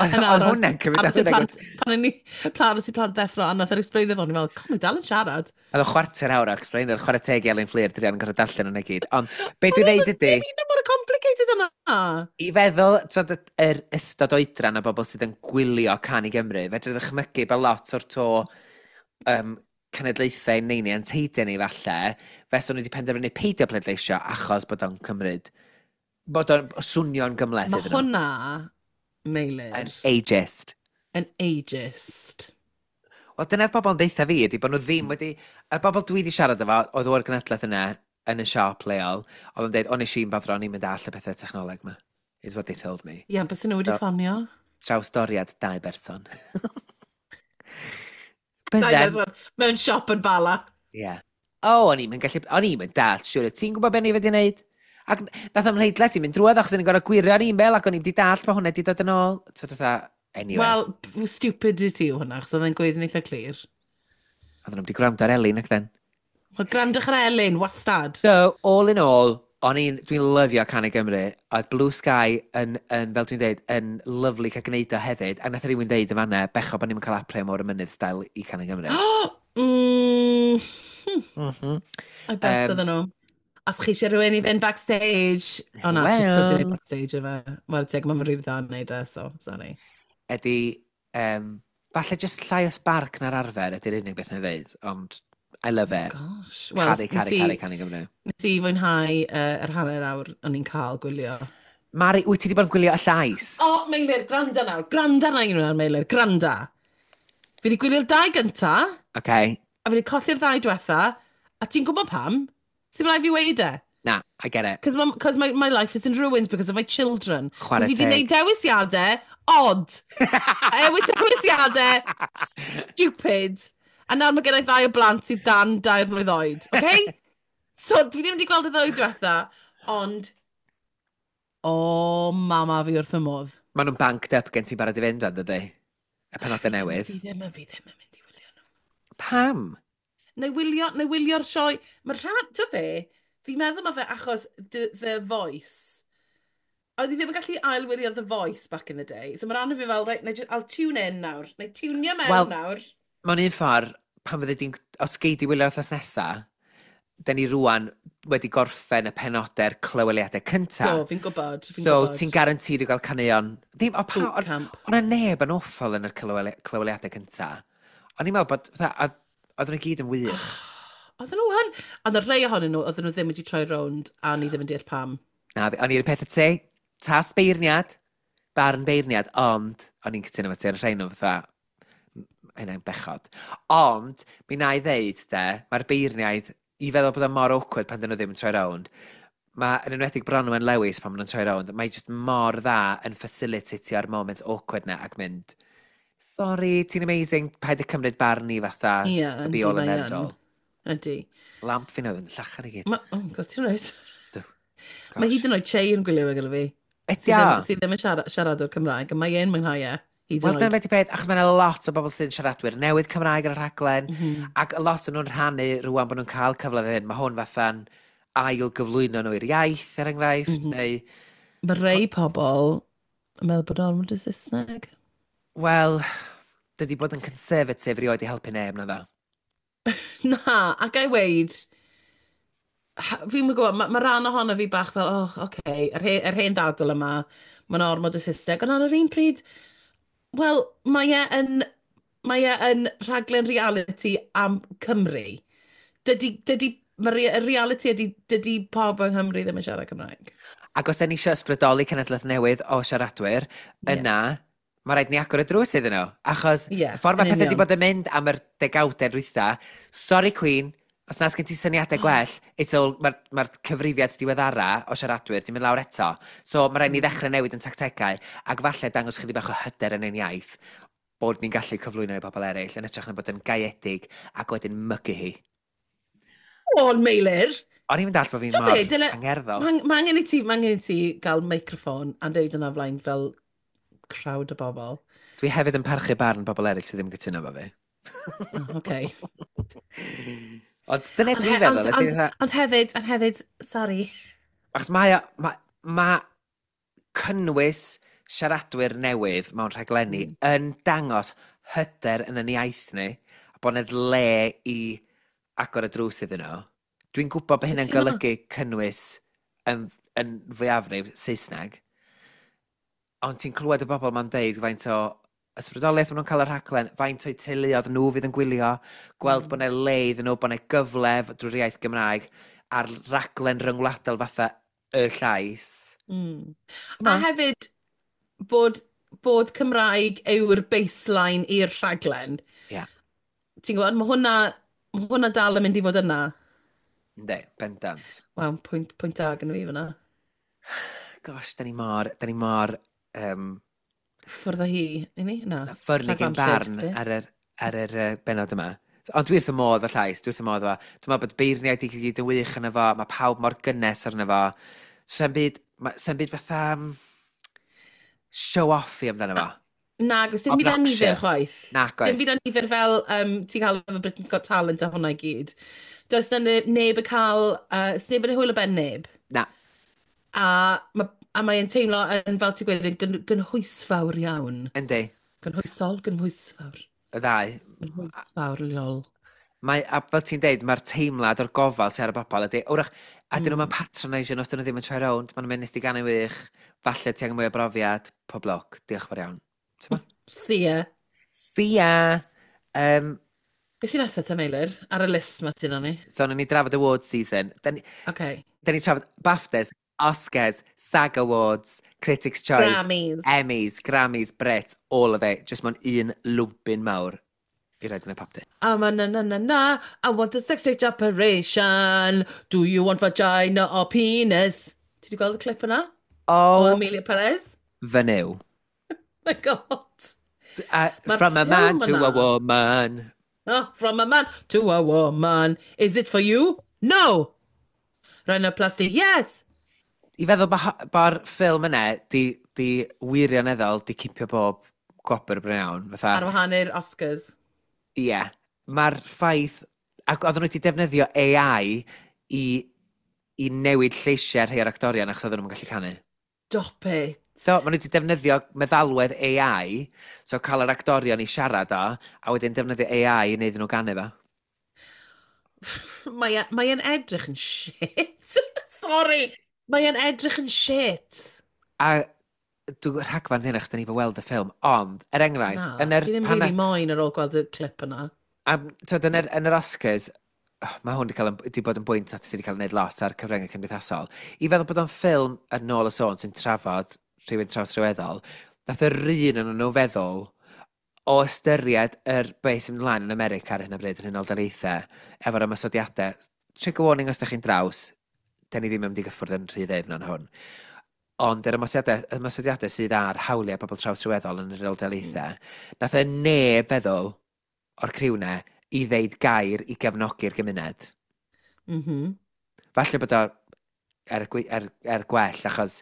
C: Oedd
B: Yn
C: oedd
B: aros-
C: hwnna'n cymryd
B: aros i'r
C: hwnna'n
B: plant, pan o'n i, pan aros i plant ddeffro, a nath yr explainer ddod, o'n i fel, com, mae dal yn siarad.
C: Oedd o chwarter awr o explainer, chwarae teg i Elin Fflur, druan yn gorfod darllen hwnna i gyd. Ond be dwi'n dweud ydy,
B: Dim un mor complicated yna.
C: i feddwl, t'od, y- yr ystod oedran o bobl sydd yn gwylio Cân i Gymru, fedri ddychmygu bod lot o'r to um, cenedlaethau neini a'n teidiau ni falle, fes o'n nhw wedi penderfynu peidio pleidleisio achos bod o'n cymryd, bod o'n swnio'n gymhleth
B: Mae
C: iddyn nhw.
B: hwnna, Meilir,
C: Yn ageist.
B: yn ageist.
C: Wel, dyna'r bobl yn deutha fi ydy bod nhw ddim wedi... Y bobl dwi wedi siarad efo, oedd o'r genedlaeth yna yn y siop leol, oedd yn dweud, o nes i'n bothro, o'n i'n mynd all y pethau technoleg yma. Is what they told me.
B: Ie, yeah, bys nhw wedi
C: Do.
B: ffonio.
C: Trawsdoriad dau berson.
B: Dau
C: Bydden.
B: berson mewn siop yn Bala.
C: Ie. O, o'n i'n gallu... O'n i'n mynd dall, siwr. Ti'n gwybod beth ni wedi wneud? Ac nath o'm mhleidlais i mynd drwodd achos o'n i'n gorfod gwirio'r e-mail ac o'n i'n di dall bod hwnna wedi dod yn ôl. Ti'n fatha, anyway.
B: Wel, b- stupid i ti yw hwnna, achos oedd e'n gweud yn eitha clir.
C: Oedden nhw'n wedi gwrando ar Elin ac then.
B: Wel, gwrandwch ar Elin, wastad.
C: So, all in all, o'n i'n, dwi'n lyfio Cân i Gymru. Oedd Blue Sky yn, yn, fel dwi'n dweud, yn lyfli cael gwneud o hefyd. A nath rhywun dweud yn fanna, becho bod ni'n cael April Môr y Mynydd style i Cân i Gymru.
B: mm,
C: mm -hmm.
B: I bet
C: Yym,
B: oedden nhw. Os chi eisiau rhywun i fynd backstage. O na, well. Just ti'n neud backstage efo. Wel, teg, mae'n rili dda yn neud e, so, sorry.
C: Ydy, um, falle just llai o sbarc na'r arfer ydy'r unig beth na'i ddeud, ond I love it.
B: Gosh. Wel,
C: Caru,
B: nes
C: caru,
B: i,
C: caru Cân i Gymru.
B: nes i fwynhau uh, yr hanner awr o'n i'n cael gwylio.
C: Mari, wyt ti wedi bod yn gwylio Y Llais?
B: O, Meilir, gwranda nawr. Gwranda nawr, Meilir, gwranda. Fi wedi gwylio'r dau gynta,
C: Okay.
B: a fi wedi colli'r ddau diwetha, a ti'n gwybod pam? Sy'n rhaid fi weud e?
C: Na, I get it.
B: Cos my, cause my, my life is in ruins because of my children.
C: Chwarae
B: Fi wedi
C: teg.
B: gwneud dewisiadau odd. A dewisiadau stupid. A nawr mae gen i ddau o blant sydd dan dair mlwydd oed. Okay? So, dwi ddim wedi gweld y ddwy diwetha, ond... O, oh, mama, fi wrth y modd.
C: Maen nhw'n banked up gen ti'n barod i fynd rhan, dydy? Y penodau newydd.
B: Fi ddim, fi ddim yn mynd i wylio nhw.
C: Pam?
B: Neu wylio, neu wylio'r sioe. Mae'r rhan, ti'n be? Fi'n meddwl mae fe achos The, The Voice. Oedd i ddim yn gallu ailwylio The Voice back in the day. So mae rhan o fi fel, right, neu ju- I'll tune in nawr. Neu tunio mewn
C: Wel,
B: nawr.
C: Mewn un ffordd, pan fyddi di'n... Os gei di wylio'r wythnos nesa, da ni rwan wedi gorffen y penodau'r clyweliadau cyntaf.
B: Do, fi'n gwybod. Fi'n
C: So,
B: gwybod.
C: ti'n guaranteed i gael caneuon. Ddim, o, pa,
B: Boot
C: o'n
B: camp.
C: o' 'na neb yn awful yn yr clyweli- clyweliadau cyntaf. O'n i'n meddwl bod, fatha, oedd- oedden nhw gyd yn wych.
B: Oedden nhw yn. Ond y rhai ohonyn nhw, oedden nhw ddim wedi troi rownd, a o'n i ddim yn deall pam.
C: Na, fi- o'n i'r peth y ti, tas beirniad, barn beirniad, ond o'n i'n cytuno efo ti ar y rhain nhw fatha, m- hynna'n bechod. Ond, mi na i ddeud, de, mae'r beirniaid, i feddwl bod o mor awkward pan dyn nhw ddim yn troi rownd, mae, yn enwedig Bronwen Lewis pan maen nhw'n troi rownd, mae just mor dda yn facilitatio'r moment awkward na ac mynd, "Sorry, ti'n amazing, paid y cymryd barn ni fatha,
B: Ie,
C: the
B: yndi,
C: be all and
B: mae
C: end
B: yn.
C: all."
B: Ydy.
C: Lamp fi oedd yn llachar i gyd.
B: Ma, oh God, ti'n rhaid.
C: Dw.
B: Mae
C: Gosh.
B: hyd yn oed Che yn gwylio fe gyda fi.
C: Ydy
B: Sydd
C: o?
B: ddim, sydd ddim yn siarad, siaradwr Cymraeg, a mae e'n mwynhau e. Hyd yn
C: Wel, dyna
B: oed.
C: beth i peth, achos mae'n lot o bobl sy'n siaradwyr newydd Cymraeg ar y rhaglen, mm
B: Mhm.
C: -hmm. ac lot o'n nhw'n rhannu rwan bod nhw'n cael cyfle fe hyn. Mae hwn fatha'n ail gyflwyno nhw i'r iaith, er enghraifft, mm
B: Mm-hmm.
C: -hmm. neu,
B: Mae rei pobl yn meddwl bod o'n ormod o Saesneg.
C: Wel, dydy bod yn conservative rioed i helpu neb, na ddo.
B: Na, a ga i weud, ha- fi'n gwybod, mae ma rhan ohono fi bach fel, oh, okay, yr, he, yr hen ddadl yma, mae'n ormod o Saesneg, ond ar yr un pryd, wel, mae e yn, mae e yn rhaglen reality am Cymru. Dydy, dydy, mae'r y reality ydy, dydy pawb yng Nghymru ddim yn siarad Cymraeg.
C: Ac os da ni eisiau ysbrydoli cenedlaeth newydd o siaradwyr,
B: Ie.
C: yna, mae rhaid ni agor y drws iddyn nhw. Achos
B: Ie,
C: y ffordd mae
B: yn
C: pethau wedi
B: union.
C: bod yn mynd am yr degawdau dwytha, sorry Queen, os na sgen ti syniadau gwell, it's all, mae'r ma cyfrifiad diweddara o siaradwyr di mynd lawr eto. So mae rhaid ni ddechrau newid yn tactegau, ac falle dangos chydig bach o hyder yn ein iaith, bod ni'n gallu cyflwyno i bobl eraill, yn hytrach na bod yn gaeedig ac wedyn mygu hi.
B: O, Meilir!
C: O'n i'n dall bod fi'n
B: Ti'n
C: mor
B: be, dyle-
C: angerddol.
B: Mae ma angen i ti, ma angen i ti gael microffon a deud yna flaen fel crowd o bobl.
C: Dwi hefyd yn parchu barn bobl eraill sydd ddim yn cytuno efo fi.
B: Oh, okay.
C: Ond dyna
B: Ond
C: dwi'n
B: he-
C: feddwl.
B: ond-
C: Ydy
B: ond-
C: fatha-
B: Ond hefyd, ond hefyd, sorry.
C: Achos mae, o- ma, ma cynnwys siaradwyr newydd mewn rhaglenni mm. yn dangos hyder yn yn iaith ni, a bod yna le i agor y drws iddyn nhw. Dwi'n gwybod bod hynny'n
B: Cytuno.
C: golygu cynnwys yn, yn fwyafrif Saesneg, ond ti'n clywed y bobl ma'n deud faint o ysbrydoliaeth maen nhw'n cael y rhaglen, faint o'u teuluoedd nhw fydd yn gwylio, gweld mm. bod yna le iddyn nhw, bod yna gyfle drwy'r iaith Gymraeg ar raglen ryngwladol fatha Y Llais.
B: Mm.
C: T'mo?
B: A hefyd, bod, bod Cymraeg yw'r baseline i'r rhaglen.
C: Ie.
B: Ti'n gwybod, mae hwnna, ma hwnna dal yn mynd i fod yna.
C: Yndi, bendant.
B: Waw, pwynt, pwynt da gyda fi fyna.
C: Gosh, da ni mor, da ni mor um,
B: Ffwrdd â hi, i ni? Na.
C: ffyrnig ein
B: Rhagfarnllyd,
C: barn
B: be?
C: ar yr, ar yr uh, benod yma. Ond dwi wrth y modd o Llais, dwi wrth y modd o. Dwi'n meddwl bod beirniaid i gyd yn wych yna fo, mae pawb mor gynnes arno fo. Sa'n byd, ma- sa'n byd fatha um, show off i amdano fo.
B: Na, dim byd annifyr
C: Obnoxious.
B: chwaith.
C: Nag
B: Dim
C: oes.
B: byd annifyr fel um, ti'n cael efo Britain's Got Talent a hwnna i gyd. Does na ne- neb yn cael, uh, neb yn hwyl o ben neb.
C: Na.
B: A, ma, a mae'n teimlo yn, fel ti'n gweud, yn gyn, gynhwysfawr iawn.
C: Yndi,
B: Gynhwysol, gynhwysfawr.
C: Y ddau.
B: Gynhwysfawr, lol.
C: Mae, a fel ti'n deud, mae'r teimlad o'r gofal sydd ar y bobl ydy, wrach, a dyn nhw'n
B: Mm.
C: patronisio nhw os dyn nhw ddim yn troi rownd, maen nhw'n mynd, "Nes di ganu wych, falle ti angen mwy o brofiad, pob lwc, diolch fawr iawn." T'mo?
B: See ya.
C: See ya! Um,
B: Be sy'n nesaf te, Meilir? Ar y list ma sy'n ni?
C: So, nawn ni drafod award season. Da ni,
B: Okay.
C: da ni trafod BAFTAs, Oscars, SAG Awards, Critics' Choice,
B: Grammys.
C: Emmys, Grammys, Brit, all of it. Just mewn un lwmpyn mawr i roid yn y popty.
B: I'm a na na na na, I want a sex change operation. Do you want vagina or penis? Ti wedi gweld y clip yna? O
C: Oh,
B: Amelia Perez?
C: Fy Nuw.
B: My God.
C: Uh,
B: Mae'r
C: from a man
B: ffilm
C: to a
B: yna.
C: Woman.
B: Oh, from a man to a woman. Is it for you? No. Rhinoplasty, yes.
C: I feddwl bo- bo'r ffilm yna di, di wirioneddol di cipio bob gwobr bron iawn. Fatha,
B: Ar wahan i'r Oscars.
C: Ie. Yeah. Mae'r ffaith... Ac oedden nhw wedi defnyddio A I i, i newid lleisiau rhai o'r actorion achos oedden nhw'n gallu canu.
B: Stop it.
C: So, maen nhw wedi defnyddio meddalwedd A I, so cael yr actorion i siarad o, a wedyn defnyddio A I i wneud nhw ganu fo.
B: Mae e- mae e'n edrych yn shit. Sorry. Mae e'n edrych yn shit.
C: A dwi'n rhagfarn hyn achos da ni 'di weld y ffilm, ond, er enghraifft,
B: Na,
C: yn yr,
B: fi ddim
C: pan
B: really
C: nath-
B: moyn ar ôl gweld y clip yna.
C: Am, twyd, yn yr, yn yr Oscars, oh, mae hwn wedi cael, wedi bod yn bwynt at sydd wedi cael ei wneud lot ar cyfryngau cymdeithasol. I feddwl bod o'n ffilm yn ôl y sôn sy'n trafod rhywun trawsryweddol, nath yr un yn nhw feddwl o ystyried yr beth sy'n mynd ymlaen yn America ar hyn o bryd yn Unol Daleithiau, efo'r ymosodiadau. Trigger warning os da chi'n draws, da ni ddim yn mynd i gyffwrdd yn rhy ddyfn yn hwn. Ond yr ymosodiadau, ymosodiadau sydd ar hawliau pobl trawsryweddol yn yr Unol Daleithiau, nath y neb feddwl o'r criw 'na i ddeud gair i gefnogi'r gymuned.
B: Mm -hmm.
C: Falle bod o er, gwe- er, er gwell, achos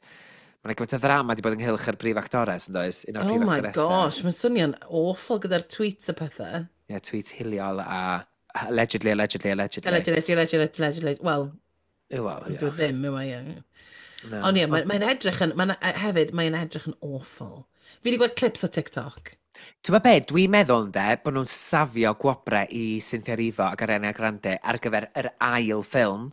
C: mae'n gymaint o ddrama wedi bod ynghylch yr brif actores, yn does? Un o'r
B: Oh
C: prif
B: my
C: actoresau.
B: Gosh, mae'n swnio'n awful gyda'r tweets a pethau.
C: Ie, yeah, tweets hiliol a allegedly, allegedly, allegedly.
B: Allegedly, allegedly, allegedly. Wel,
C: Wel,
B: dwi
C: ie.
B: ddim, yw e, ie.
C: Na.
B: Ond ie, mae'n mae edrych yn, mae'n, hefyd, mae'n edrych yn awful. Fi wedi gweld clips o TikTok.
C: Ti'n gwybod be, dwi'n meddwl ynde, bod nhw'n safio gwobrau i Cynthia Erivo ac Ariana Grande ar gyfer yr ail ffilm.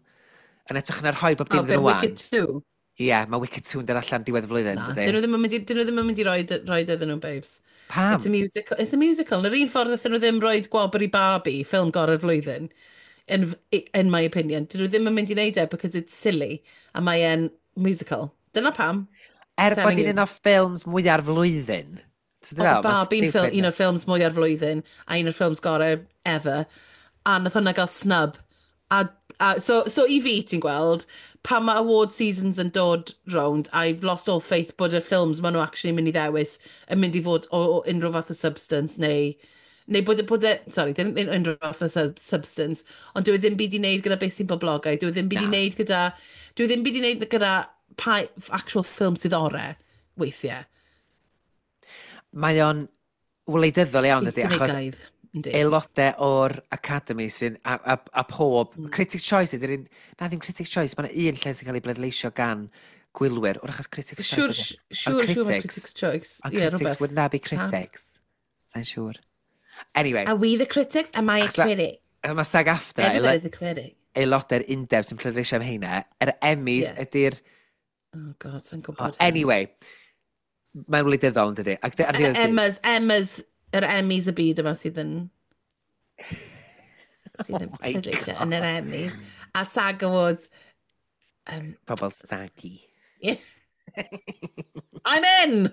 C: Yn edrych yn rhoi bob dim
B: Oh,
C: iddyn
B: be,
C: nhw wan.
B: Wicked two?
C: Ie, yeah, mae Wicked two yn dod allan diwedd y flwyddyn,
B: Na,
C: dydy?
B: dyn nhw ddim yn mynd i, dyn nhw ddim yn mynd i roi, roi iddyn nhw, babes.
C: Pam?
B: It's a musical. It's a musical. Yn yr un ffordd wnaethon nhw ddim rhoi gwobr i Barbie, ffilm gorau'r flwyddyn, in, in my opinion. Dyn nhw ddim yn mynd i wneud e because it's silly. A mae e'n musical. Dyna pam.
C: Er bod
B: Telling
C: hi'n
B: you.
C: un o ffilms mwyaf flwyddyn. Ti'n
B: Oedd
C: fel, ma'n
B: Barbie'n ffil,
C: stupid
B: un o'r ffilms mwyaf flwyddyn a un o'r ffilms gorau ever. A nath hwnna gael snub. A, a, so, so i fi, ti'n gweld, pan mae award seasons yn dod round, I've lost all faith bod y ffilms maen nhw actually mynd i ddewis yn mynd i fod o, o unrhyw fath o substance neu neu bod, e- bod e, sorry, ddim un- unrhyw fath o sub- substance, ond dyw e ddim byd i wneud gyda beth sy'n boblogaidd, dyw e ddim byd i
C: Na.
B: wneud gyda, dyw e ddim byd i wneud gyda pa actual ffilm sydd orau, weithiau.
C: Mae o'n wleidyddol iawn, dydy, achos
B: Cynigaidd, yndi.
C: Aelodau o'r Academy sy'n, a, a, a pob,
B: Mm.
C: Critics' Choice ydy'r un, na ddim Critics' Choice, mae yna un lle sy'n cael ei bleidleisio gan gwylwyr, wrach achos Critics' Choice
B: Siwr,
C: ydy e.
B: siwr, siwr mae
C: critics.
B: Critics' Choice.
C: Ond
B: Ie,
C: critics,
B: rhywbeth.
C: wouldn't that be
B: Sad.
C: critics? Sa'n siŵr. Anyway,
B: Are we the critics? Am I a
C: Achos ma-
B: critic?
C: mae SAG-AFTRA,
B: Everybody's the critic.
C: aelodau'r undeb sy'n pleidleisio am heina, yr Emmys
B: Ie.
C: ydy'r.
B: Oh God, sa'n
C: Oh,
B: gwybod.
C: anyway, mae'n wleidyddol yn dydy. Ac dy- ar ddiwedd dydd-
B: Emma's, Emma's, yr Emmys y byd yma sydd yn... sydd yn
C: Oh my
B: pleidleisio yn yr
C: God.
B: Emmys. A SAG Awards. Um,
C: Pobl staggy.
B: Yeah. I'm in!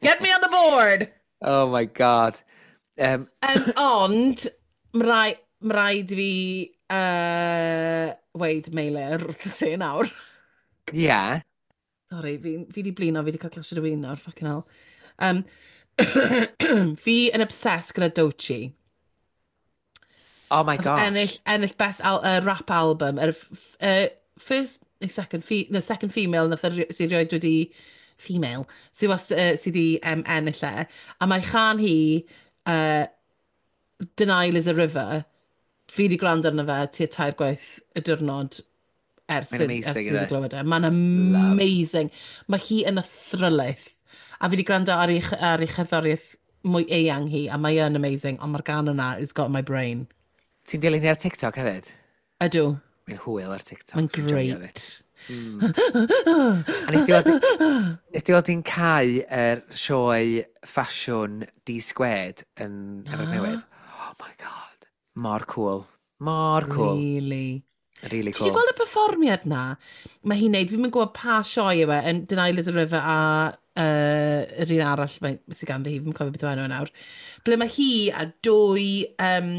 B: Get me on the board!
C: Oh my God. Um,
B: Um, ond, mae rai, ma raid i fi uh, weud Meilir wrth y nawr.
C: Yeah.
B: Sorry, fi, fi di blino, fi di cael glasiad o win nawr, fucking hell. Um, fi yn obsessed gyda Doechii.
C: Oh my
B: Nath
C: gosh.
B: Ennill, ennill best al uh, rap album. Yr f- uh, first, neu second, fe no, second female nath eri- sydd rioed wedi female, sydd was, uh, sydd wedi um, ennill e. A mae chan hi, uh, Denial Is a River, fi wedi gwrando arno fe tua tair gwaith y diwrnod ers,
C: Mae'n
B: i-
C: amazing,
B: ers i
C: ydi?
B: fi glywed e. Mae'n amazing. Mae hi yn athrylith. A fi wedi gwrando ar ei, ar ei cherddoriaeth mwy eang hi, a mae yn amazing, ond mae'r gan yna is got my brain.
C: Ti'n dilyn hi ar TikTok hefyd?
B: Ydw,
C: Mae'n hwyl ar TikTok.
B: Mae'n
C: Dwi'n joio fi.
B: great.
C: A nes ti weld, nes ti weld hi'n cau yr sioe ffasiwn D Squared yn Efrog
B: Na.
C: Newydd? Oh my God. Mor cool. Mor cool.
B: Really.
C: Really
B: Ti wedi
C: cool.
B: gweld y perfformiad na? Mae hi'n neud, fi'n mynd gwybod pa sioe yw e, yn Denial is a River a uh, yr un arall mae, sydd ganddi hi, fi'n cofio beth yw enw e nawr. Ble mae hi a dwy um,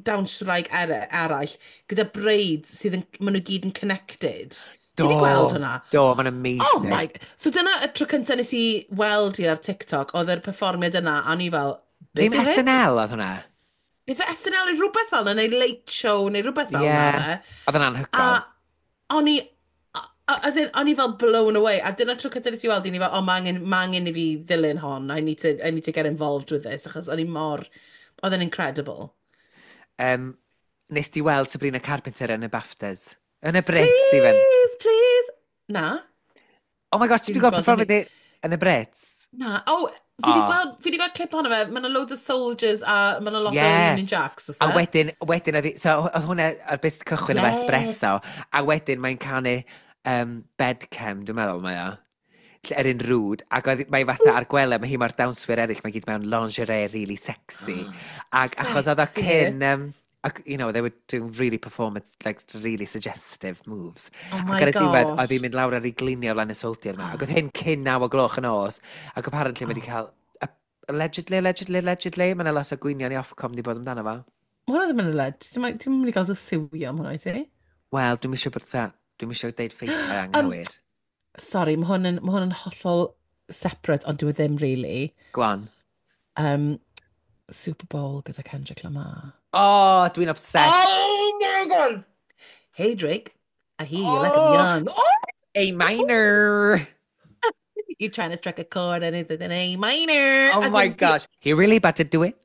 B: dawnswraig er eraill gyda braids sydd yn, maen nhw gyd yn connected. Ti
C: Do.
B: wedi gweld hwnna?
C: Do, mae'n
B: Oh
C: amazing.
B: my... So dyna y tro cyntaf nes i weld hi ar TikTok, oedd yr perfformiad yna, a o'n i fel, beth
C: Ddim
B: yw hyn?
C: S N L oedd hwnna.
B: Ife S N L neu rhywbeth fel 'na, neu Late Show, neu rhywbeth fel
C: Ie.
B: 'na fe.
C: Oedd yn
B: A
C: anhygoel.
B: o'n i, a- a- as in, o'n i fel blown away. A dyna tro cyntaf nes i weld, i ni fel, "Oh, mae angen, ma angen i fi ddilyn hon. I need to, I need to get involved with this," achos o'n i mor, oedd yn incredible.
C: Um, nes di weld Sabrina Carpenter yn y BAFTAs? Yn y Brits, even.
B: Please, please. Na.
C: Oh my gosh, ti
B: Fi
C: wedi
B: 'di
C: gweld
B: gweld
C: perfformiad i yn y Brits?
B: Na. Oh, fi wedi
C: Oh.
B: gweld, fi wedi gweld clip ohono fe. Mae yna loads o soldiers a mae yna lot
C: Yeah.
B: o Union Jacks, oes
C: A
B: e?
C: wedyn, wedyn, oedd hi- so oedd hwnna ar bit cychwyn efo
B: Ie.
C: Espresso, a wedyn mae'n canu um, Bed Chem, dwi'n meddwl mae o. Lle- Yr un rwd, ac oedd mae fatha ar gwely, mae hi mor dawnswyr eraill, mae gyd mewn lingerie really sexy. Ac achos oedd o
B: Sexy.
C: cyn, um, ac, you know, they were doing really performance, like, really suggestive moves.
B: Oh my
C: Ac ar y diwedd,
B: gosh.
C: oedd hi'n mynd lawr ar ei gliniau o flaen y soldier yma. Ac oedd hyn cyn naw o gloch yn nos. Ac apparently mae wedi cael, allegedly, allegedly, allegedly, mae yna lot o gwynion i Ofcom di bod amdano fo.
B: Mae hwnna ddim yn alleged. Ti'n ti'n mynd i gael dy siwio am hwnna, i ti?
C: Wel, dwi'n eisiau bod dda, dwi'n eisiau deud ffeithiau
B: Um,
C: anghywir.
B: Sorry, mae hwn yn, ma hwn yn hollol separate, ond dyw e ddim really.
C: Go on.
B: Um, Super Bowl gyda Kendrick Lamar.
C: Oh, dwi'n obsessed.
B: Oh my God! "Hey Drake, I hear you like I'm
C: Oh.
B: young." Oh!
C: A minor.
B: "You're trying to strike a chord and it's an A minor."
C: Oh
B: As
C: my
B: in,
C: gosh. He really about to do it.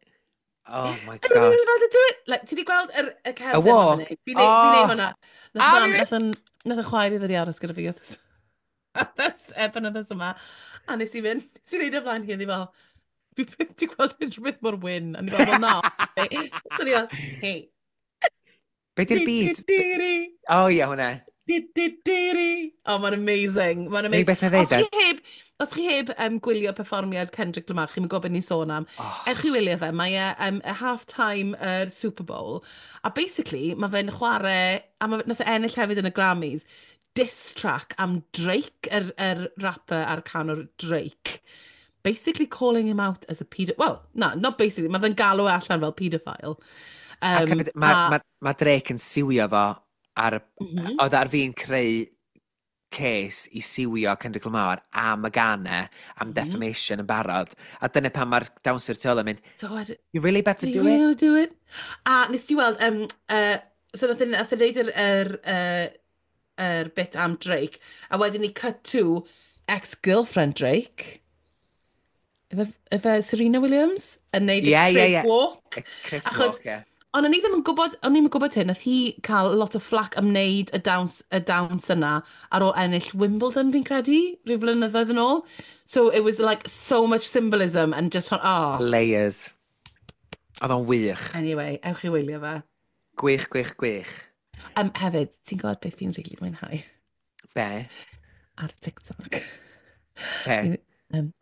C: Oh my
B: I really
C: gosh.
B: about to do it. Like, ti di gweld yr, y cerdded
C: Y walk?
B: yma? Fi'n neud fi neud
C: Oh.
B: hwnna.
C: A
B: Nath mam,
C: fi-
B: nath yn, nath y chwaer i ddod i aros gyda fi wythnos wythnos, e, penwythnos yma. A nes i fynd, nes i neud o flaen hi, a ni fel, "Fi byth di gweld unrhyw beth mor wyn." A ni fel, "Well, na." So ni fel, "Hey."
C: Be di'r beat?
B: Di, di, di,
C: Oh ie, hwnna.
B: di, di, di, di. Oh, mae'n amazing. Mae'n
C: Unig
B: amazing.
C: beth na ddeud,
B: Os chi heb, os chi heb um, gwylio perfformiad Kendrick Lamar, chi'n gwybod beth ni'n sôn am.
C: Oh.
B: Ewch i wylio fe, mae e um, y half-time yr Super Bowl. A basically, mae fe'n chwarae, a mae, nath e ennill hefyd yn y Grammys, diss track am Drake, yr, yr rapper a'r canwr Drake. Basically calling him out as a pedo... Well, na, not basically, mae fe'n galw e allan fel paedophile.
C: Ac
B: Um,
C: hefyd, mae
B: a-
C: ma, ma Drake yn siwio fo ar,
B: Mm -hmm.
C: oedd ar fi'n creu case i siwio Kendrick Lamar am y ganau, am
B: Mhm.
C: defamation yn barod. A dyna pan mae'r dawnswyr tu ôl yn mynd,
B: So, I,
C: "You really better
B: You
C: do
B: really
C: it."
B: gonna do it? A nes ti weld, um, uh, so nath e nath e wneud yr, yr, uh, yr bit am Drake, a wedyn ni cut to ex-girlfriend Drake, Ife, ife Serena Williams, yn neud y
C: Ie, ie,
B: crip
C: ie.
B: walk.
C: Y Crips
B: Achos-
C: walk, ie.
B: Ond o'n i ddim yn gwybod, o'n i'm yn gwybod hyn, nath hi cael lot o flack am wneud y dawns, y dawns yna ar ôl ennill Wimbledon, fi'n credu, rhyw flynyddoedd yn ôl. So it was like so much symbolism and just, oh.
C: Layers. Oedd o'n wych.
B: Anyway, ewch i wylio fe.
C: Gwych, gwych, gwych.
B: Um, hefyd, ti'n gwybod beth fi'n rili mwynhau
C: Be?
B: ar TikTok?
C: Be?
B: Um,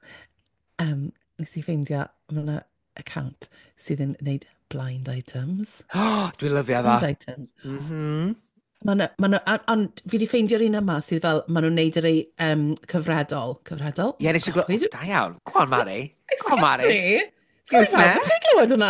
B: um, nes i ffeindio, mae yna account sydd yn gwneud blind items.
C: Oh, dwi'n lyfio fo.
B: Blind items.
C: Mm -hmm.
B: Ma' 'na, ma' 'na, a- ond fi wedi ffeindio'r un yma sydd fel, maen nhw'n neud yr ei um, cyfredol. Cyfredol?
C: Ie, nes i glywed.
B: Pryd-
C: Da iawn. Go on, Mari. Go on,
B: Excuse
C: Mari.
B: me?
C: Excuse
B: Sorry,
C: me.
B: pawb, chi'n clywed hwnna?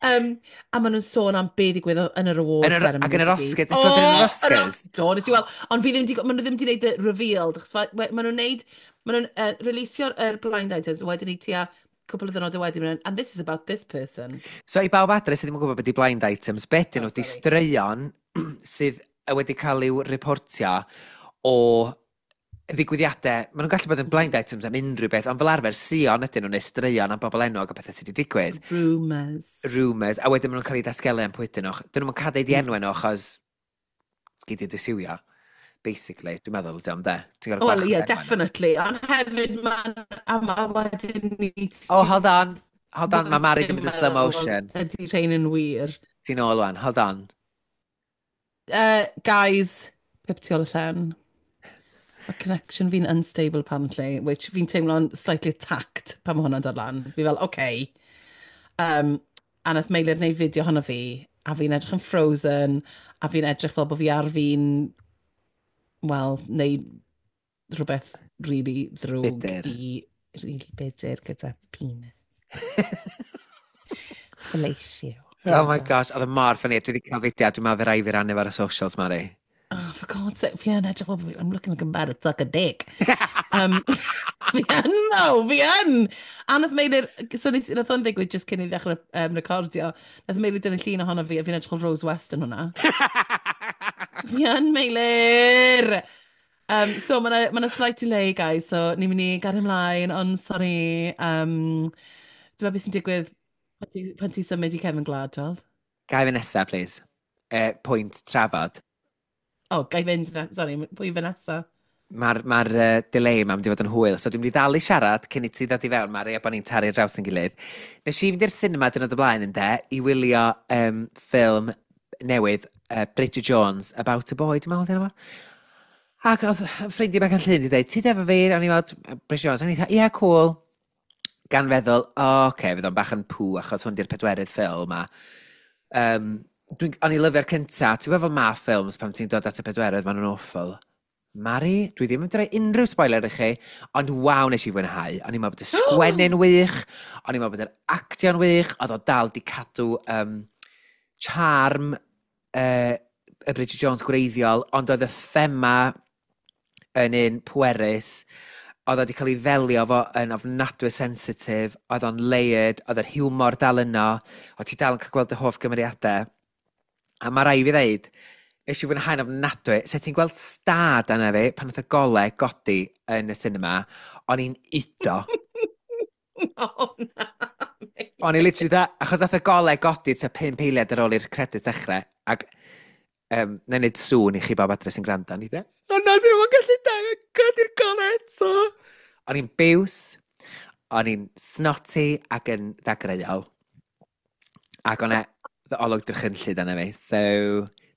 B: um, a maen nhw'n sôn am be ddigwyddodd yn yr awards
C: Yn yr-
B: ceremony.
C: ac yn yr Oscars. Nes ti weld yn yr Oscars?
B: Do, nes i weld. Ond fi ddim di, maen nhw ddim di wneud y reveal. Achos fa- we- maen nhw'n neud, maen nhw'n uh, releasio'r er blind items, wedyn ni tua cwpl o ddynodau wedyn, maen nhw'n, "And this is about this person."
C: So i bawb adre sydd ddim yn gwybod beth di blind items, beth dyn
B: Oh,
C: nhw, di
B: sorry.
C: straeon sydd wedi cael i'w reportio o ddigwyddiadau. Maen nhw'n gallu bod yn blind items am unrhyw beth, ond fel arfer, sion ydyn nhw neu straeon am bobl enwog o bethau sydd wedi digwydd.
B: Rumours.
C: Rumours, a wedyn maen nhw'n cael eu datgelu am pwy ydyn nhw. Dyn nhw'n cael deud i enwau nhw achos gei di dy siwio. Basically, dwi'n meddwl ydy o'n de. Ti'n gorfod
B: Wel,
C: gwarchod
B: ie, yeah,
C: enwau nhw.
B: definitely. Ond hefyd, mae'n... A ma wedyn ni...
C: Oh, hold on. Hold on, mae Mari di mynd yn slow motion.
B: Ydy rhain yn wir?
C: Ti'n ôl wan, hold on.
B: Uh, guys, pip tu ôl y llen. Mae connection fi'n unstable apparently, which fi'n teimlo'n slightly attacked pan mae hwnna'n dod lan. Fi fel, okay. Um, A nath Meilir wneud fideo honno fi, a fi'n edrych yn frozen, a fi'n edrych fel bod fi ar fi'n, wel, neud rhywbeth really ddrwg
C: Bitter.
B: i really bitter gyda penis. Fellatio.
C: Oh my gosh, oedd y mor funny. Dwi wedi cael fideo, dwi'n meddwl fe rai fi rannu ar y socials, Mari.
B: Oh, for God's sake, fi yn edrych fel, I'm looking like I'm about to suck a dick. um, fi yn, no, fi yn. A nath Meilir, so nes, nath o'n ddigwydd just cyn i ddechrau um, recordio, nath Meilir dynnu llun ohono fi, a fi'n edrych fel Rose West yn hwnna. Fi yn, Meilir! Um, so mae yna ma slight delay, guys, so ni'n mynd i gael ymlaen, ond sorry. Um, Dwi'n meddwl beth sy'n digwydd pan ti, pan ti symud i cefn gwlad, tweld?
C: Gai fi nesa, please. Uh, pwynt trafod.
B: O, oh, gai fynd, na, sorry, pwy fy nesa?
C: Mae'r ma uh, delay yma mynd i fod yn hwyl, so dwi'n mynd i ddal i siarad cyn i ti ddod i fewn, Mari, a bod ni'n taru draws yn gilydd. Nes i fynd i'r cinema dynod o blaen yn de, i wylio um, ffilm newydd, uh, Bridget Jones, About a Boy, dwi'n meddwl, dyna fo. Ac oedd ffrindiau bach yn llun wedi dweud, ti efo fi? O'n i fod, Bridget Jones, o'n i dweud, ie, yeah, cool. Gan feddwl, o, oh, oce, okay, fydd o'n bach yn pw, achos hwn di'r pedwerydd ffilm, a um, dwi'n, o'n i lyfio'r cynta, ti'n gwybod fel ma ffilms pan ti'n dod at y pedwerydd, maen nhw'n awful. Mari, dwi ddim yn rhoi unrhyw spoiler i chi, ond waw nes i fwynhau. O'n i'n meddwl bod y sgwennu'n wych, o'n i'n meddwl bod yr actio'n wych, oedd o dal di cadw um, charm uh, y Bridget Jones gwreiddiol, ond oedd y thema yn un pwerus, oedd o wedi cael ei ddelio fo yn ofnadwy sensitif, oedd o'n layered, oedd yr hiwmor dal yno, oedd ti dal yn cael gweld y hoff gymeriadau. A mae rai fi ddeud, nes i fwynhau'n ofnadwy, se ti'n gweld stad yna fi, pan oedd y golau godi yn y cinema, o'n i'n udo.
B: Oh, na.
C: O'n i literally dda, achos nath y golau godi tua pum eiliad ar ôl i'r credits dechrau, ac um, na i wneud sŵn i chi bob adre sy'n gwrando, o'n i dda, o na, dyn nhw'n gallu godi'r golau eto. O'n i'n biws, o'n i'n snotty ac yn ddagreuol. Ac o'n e olwg drychynllyd yna fi, so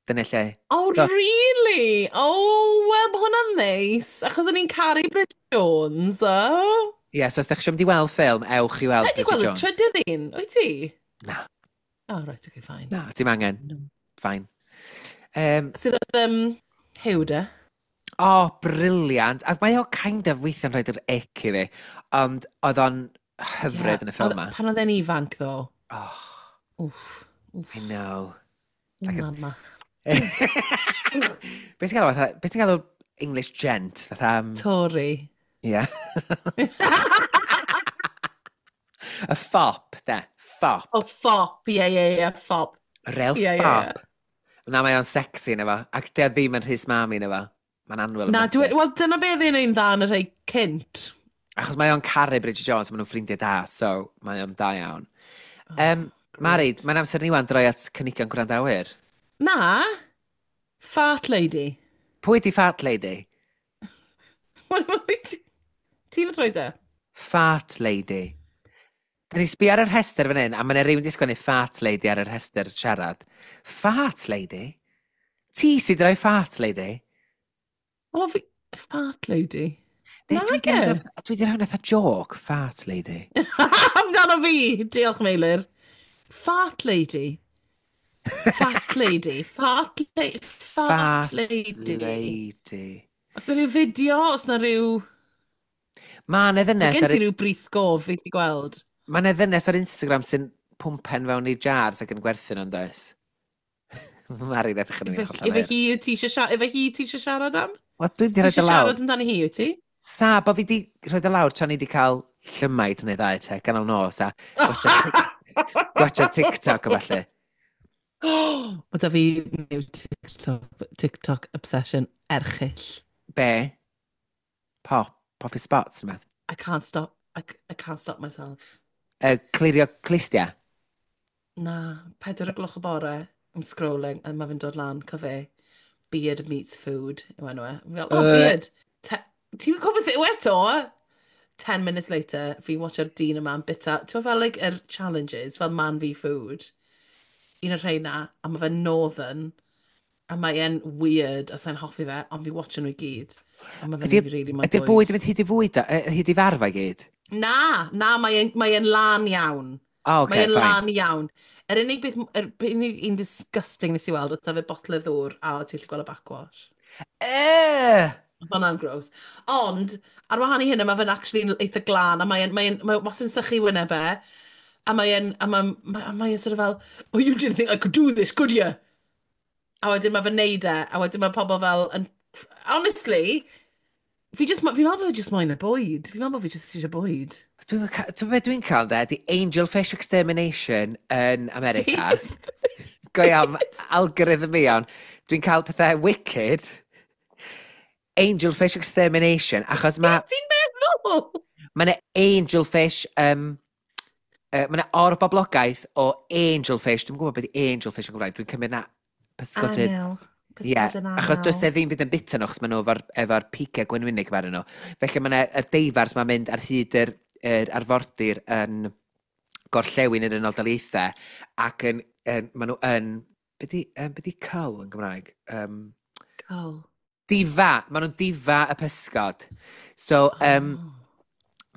C: dyna lle.
B: Oh,
C: So-
B: really? Oh, wel, mae hwnna'n neis. Achos o'n i'n caru Bridget Jones, oh.
C: Ie, yeah, so os ydych chi'n mynd i weld ffilm, ewch i weld
B: Ti wedi
C: Bridget
B: gweld y
C: Jones.
B: trydydd un, wyt ti?
C: Na.
B: Oh, right, okay, fine.
C: Na, ti'n angen.
B: No.
C: Fine. Um,
B: Sydd oedd um, Huw de?
C: oh, brilliant. Ac mae o kind of weithio'n rhoi'r ick i fi. Ond oedd o'n hyfryd yn y ffilm yma.
B: Pan oedd e'n ifanc, ddo.
C: Oh,
B: Wff, wff,
C: I know. Like a-
B: mama.
C: Be ti'n galw, fatha, be ti'n galw English gent? Fatha, um,
B: Tory.
C: yeah. Y fop, de. Fop.
B: Oh, fop, ie, ie, ie, fop.
C: Real
B: Ie, ie, ie.
C: fop. Na, mae o'n sexy yn efo. Ac dy o ddim yn rhys mami yn efo. Mae'n annwyl.
B: Na,
C: ofnadwy.
B: dwi, wel, dyna beth oedd e'n dda yn y rhai cynt.
C: Achos mae o'n caru Bridget Jones, maen nhw'n ffrindiau da, so mae o'n da iawn. Um, Mari, mae'n amser ni wan droi at cynigion gwrandawyr.
B: Na, Fart Lady.
C: Pwy di Fart Lady?
B: Ti'n rhoi de?
C: Fart Lady. Da ni sbio ar y rhestr fan hyn, a mae'n rhywun di sgwennu Fart Lady ar y rhestr siarad. Fart Lady? Ti sydd rhoi Fart Lady?
B: Wel, fi... Fart Lady.
C: Neu dwi 'di
B: Nage.
C: rhoi- Dwi di rhoi fatha joke, Fart Lady.
B: Amdano fi! Diolch, Meilir. Fart Lady. Fat Lady. Fart, la Fart,
C: Fart
B: Lady.
C: Lady.
B: Os yna rhyw fideo, os yna rhyw...
C: Mae 'na ddynes
B: Gen
C: ar,
B: ti rhyw brith gof fi wedi gweld.
C: ma' 'na ddynes ar Instagram sy'n pwmpen fewn i jars ac yn gwerthu nhw'n does? Mari'n edrych yn
B: Efe
C: fi'n hollol
B: efe hi wyt ti eisiau siarad, efe hi ti eisiau siarad am?
C: Wel, dwi'n
B: Ti
C: di rhoi
B: eisiau
C: dy lawr.
B: siarad amdani hi, wyt ti?
C: Sa, bo fi di rhoi dy lawr tra ni di cael llymaid neu ddau te, ganol nos a gwatcha TikTok a falle.
B: Mae da fi new TikTok, TikTok obsession erchyll.
C: Be? Pop. Poppy spots, yma.
B: I can't stop, I, I can't stop myself.
C: Uh, clirio clustia.
B: Na, pedwar o gloch o bore, I'm scrolling, a mae fe'n dod lan, co fe, Beard meets food, yw enw e. Fi fel, oh,
C: Yy.
B: beard. Te- Ti'n gwybod beth yw eto? Ten minutes later, fi'n watcho'r dyn yma yn bita, ti'n fel like, yr challenges, fel man v food, un o'r rheina, a mae fe'n northern, a mae e'n weird, a sa'n hoffi fe, ond fi'n watcho nhw i gyd. A mae fe'n
C: Ydi-
B: neud fi really moyn
C: Ydy'r bwyd yn mynd hyd i fwyd, a- yy, hyd i farfa i gyd?
B: Na, na, mae e'n mae e'n lan iawn.
C: Oh, okay,
B: Mae e'n
C: fine.
B: lan iawn. Yr unig beth, yr unig un disgusting nes i weld, oedd fe botel o ddŵr a o ti'n gallu gweld y backwash.
C: Uh!
B: Oedd hwnna'n gross. Ond, ar wahân i hynny, mae fe'n actually eitha glân, a mae'n mae mae wastad yn sychu wyneb e, a mae'n a mae'n mae, mae sort of fel, "Oh, you didn't think I could do this, could you?" A wedyn mae fe'n neud e, a wedyn mae pobl fel, yn, honestly, fi just, fi'n meddwl bod fi just moyn y bwyd. Fi'n meddwl bod fi just eisiau bwyd.
C: Dwi'n ca- Ti'n beth dwi'n cael de? The Angelfish Extermination yn America. Go iawn, algorithm fi iawn. Dwi'n cael pethau wicked. Angelfish Extermination, achos mae
B: Ti'n meddwl?
C: Mae yna angelfish, um, uh, mae yna orboblogaeth o angelfish. Dwi'n gwybod beth ydi angelfish yn Gymraeg. Dwi'n cymryd na pysgodyn.
B: Angel.
C: Ie,
B: Pysgodyn
C: achos does
B: angel.
C: e ddim byd yn bita nhw, achos maen nhw efo'r efo pigau gwenwynig ar nhw. Felly mae yna y deifars mae'n mynd ar hyd yr, yr arfordir yn gorllewin yr Unol Daleithiau ac yn, yn, maen nhw yn, be di, um, be di cull yn Gymraeg? Um,
B: Cull.
C: Difa, maen nhw'n difa y pysgod. So, um,
B: Oh.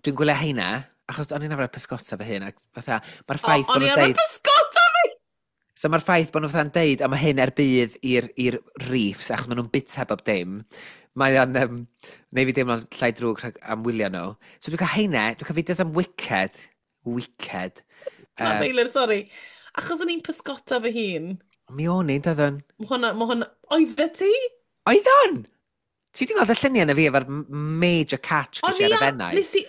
C: dwi'n gwylio heina, achos o'n i'n arfer pysgota fy hun, ac fatha, mae'r
B: O,
C: ffaith bod
B: o'n i
C: nhw'n
B: arfer
C: deud.
B: pysgota fi!
C: So mae'r ffaith bod nhw'n fatha'n deud, a mae hyn er budd i'r i'r reefs, achos maen nhw'n bita bob dim, mae o'n, um, neu fi deimlo'n llai drwg rhag am wylio nhw. So dwi'n cael heina, dwi'n cael fideos am Wicked, Wicked.
B: Na,
C: Uh,
B: Meilir, sori. Achos o'n i'n pysgota fy hun.
C: Mi o'n i'n, doeddwn.
B: Mae hwnna, mae hwnna... Oeddet ti?
C: Oeddwn! Ti wedi gweld y lluniau na fi efo'r major catch
B: O'n
C: gyda
B: i
C: ar y
B: ar-
C: Fenai?
B: Nes i...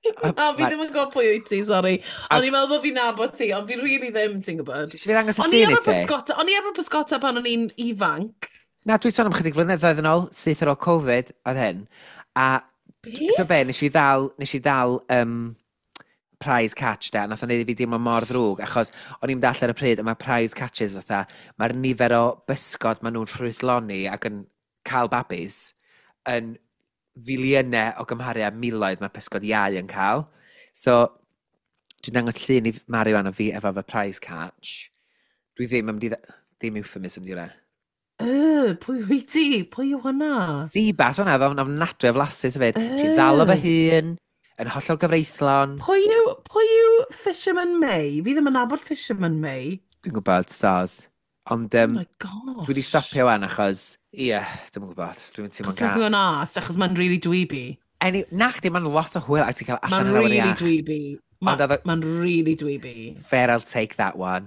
B: Na, fi
C: Ma-
B: ddim yn gwybod pwy wyt ti, sori.
C: Ac-
B: O'n i'n meddwl bod fi'n nabod ti, ond fi really ddim, ti'n gwybod.
C: Ti eisiau fi ddangos y
B: O'n i
C: llun i
B: arfer
C: ti?
B: pysgota, o'n i arfer pysgota pan o'n i'n ifanc.
C: Na, dwi'n sôn am chydig flynyddoedd yn ôl, syth ar ôl Covid, oedd hyn. A
B: Beth?
C: ti'n be, nes i ddal, nes i ddal um, prize catch de, a nath o'n neud i fi deimlo mor ddrwg, achos o'n i'n dall ar y pryd, a mae prize catches fatha, mae'r nifer o bysgod maen nhw'n ffrwythloni ac yn cael babis yn filiynau o gymharu â miloedd mae pysgod iau yn cael. So, dwi'n dangos llun i Mari wan o fi efo fy prize catch. Dwi ddim yn mynd i... dda- Ddim euphemism di hwnna.
B: Yy, pwy wyt ti? Pwy yw hwnna?
C: Seabass hwnna, oedd o'n ofnadwy o flasus hefyd. Nes i ddal o fy hun, yn hollol gyfreithlon.
B: Pwy yw, pwy yw Fisherman May? Fi ddim yn nabod Fisherman May.
C: Dwi'n gwybod, stars. Ond
B: Oh
C: um,
B: my gosh.
C: dwi wedi stopio wan achos, ie, yeah, dwi'n gwybod, dwi'n teimlo'n
B: Achos mae'n
C: gas.
B: gas, achos mae'n really dweeby.
C: Any, na chdi, mae'n lot o hwyl a ti'n cael allan
B: Mae'n
C: yn awyr
B: really
C: iach.
B: dweeby.
C: Ond oedd o-
B: Mae'n really dweeby.
C: Fair, I'll take that one.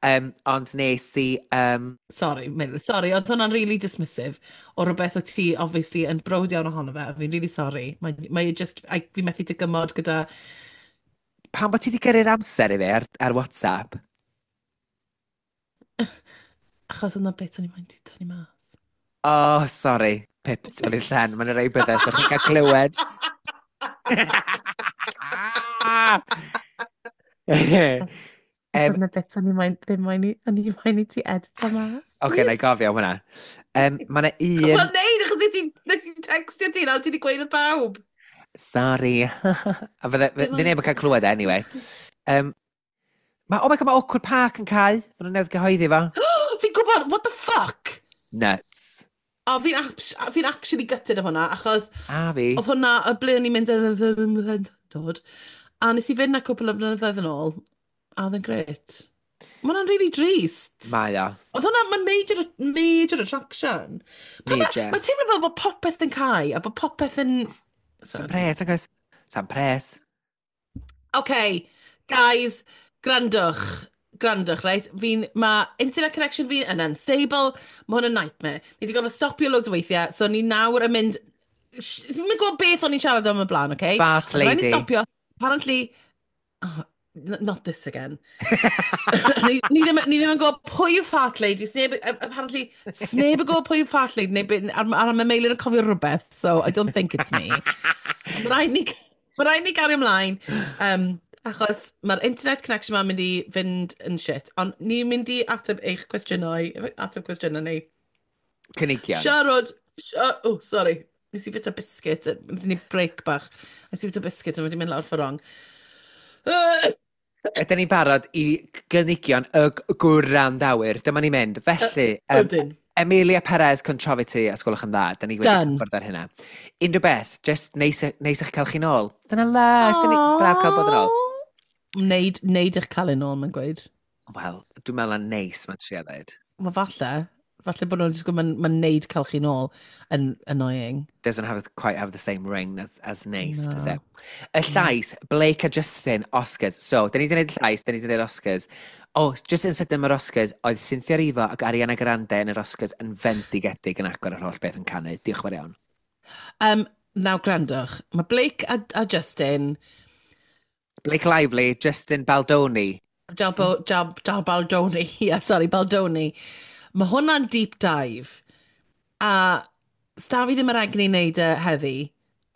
C: Um, ond nes i, um,
B: Sorry, Meilir, sorry, oedd hwnna'n really dismissive o rhywbeth o ti, obviously, yn browd iawn ohono fe, a fi'n really sorry. Mae, mae just, I, fi methu dygymod gyda.
C: Pam bod ti wedi gyrru'r amser i fi ar, ar WhatsApp?
B: Achos yna bit o'n i moyn ti tynnu mas.
C: Oh, sorry. Pip, ti'n i'r llen. Mae'n rhai bethau, so chi'n cael clywed.
B: Um,
C: um,
B: yna bit o'n i moyn, ddim moyn i, o'n i moyn i ti edito mas.
C: Oce, na i gofio am hwnna. Um, mae yna un.
B: Wel, neud, achos nes i, nes i textio ti nawr, ti wedi gweud wrth bawb.
C: Sorry. A fydde,
B: Dim
C: fydde neb yn cael clywed e, anyway. Um, ma, oh my God, mae Awkward Park yn cau. Maen nhw'n newydd gyhoeddi fo.
B: Fi'n gwybod, what the fuck?
C: Nuts.
B: O, fi'n fi actually gutted am hwnna, achos
C: A fi.
B: oedd hwnna, y ble o'n i'n mynd yn dod, a nes i fynd na cwpl o blynyddoedd yn ôl, a oedd yn grêt. Mae hwnna'n really drist.
C: Mae o.
B: Oedd hwnna, mae'n major, major attraction. Pa ma-
C: Major.
B: Mae'n teimlo fel bod popeth yn cau, a bod popeth yn.
C: Sam pres, nag oes? Sam pres.
B: OK, guys, grandwch. Grandwch, right? Fi'n, mae internet connection fi yn unstable, mae hwn yn nightmare. Ni wedi gorfod stopio loads o weithiau, so ni nawr yn mynd. Sh- Ddim yn gwybod beth o'n i'n siarad am y blaen, okay?
C: Fart
B: Ond rhaid ni
C: lady.
B: stopio. Apparently, oh, n- not this again. ni, ni, ddim, ni ddim yn gwybod pwy yw fart lady. Sneb, apparently, sneb yn gwybod pwy yw fart lady. Neu, be- ar, ar mae Meilir yn cofio rhywbeth, so I don't think it's me. Mae rhaid ni, ma rhaid ni gario ymlaen. Um, achos mae'r internet connection ma'n mynd i fynd yn shit. Ond ni'n mynd i ateb eich cwestiynau, ateb cwestiynau ni.
C: Cynigion.
B: Siarad, si- oh, sorry. Nes i fita biscuit, wnaethon ni break bach. Nes i fita biscuit a wedi mynd lawr ffor wrong.
C: Ydyn ni'n barod i gynigion y g- gwrandawyr? Dyma ni'n mynd. Felly, um,
B: Ydyn.
C: Emilia Perez, Controfity, os gwelwch yn dda. Da ni wedi cyffwrdd ar hynna. Unrhyw beth, just neis, neis eich cael chi nôl. Dyna lush, dyna braf cael bod yn ôl.
B: Neud, neud eich cael yn ôl, mae'n gweud.
C: Wel, dwi'n meddwl na neis mae'n trio dweud.
B: Wel, falle. Falle bod nhw'n just gwybod, mae'n ma neud cael chi nôl yn annoying.
C: Doesn't have quite have the same ring as, as neis, no. Does it? Y llais, Blake a Justin, Oscars. So, da ni wedi gwneud llais, da ni wedi gwneud Oscars. Oh, just yn sydyn mae'r Oscars, oedd Cynthia Erivo ac Ariana Grande yn yr Oscars yn fendigedig yn agor yr holl beth yn canu. Diolch yn fawr iawn.
B: Um, Nawr, gwrandwch, mae Blake a, a Justin...
C: Blake Lively, Justin Baldoni.
B: Jab, Jab, Jab Baldoni, yeah, sorry, Baldoni. Mae hwnna'n deep dive. A sta fi ddim yr egni i wneud e heddi,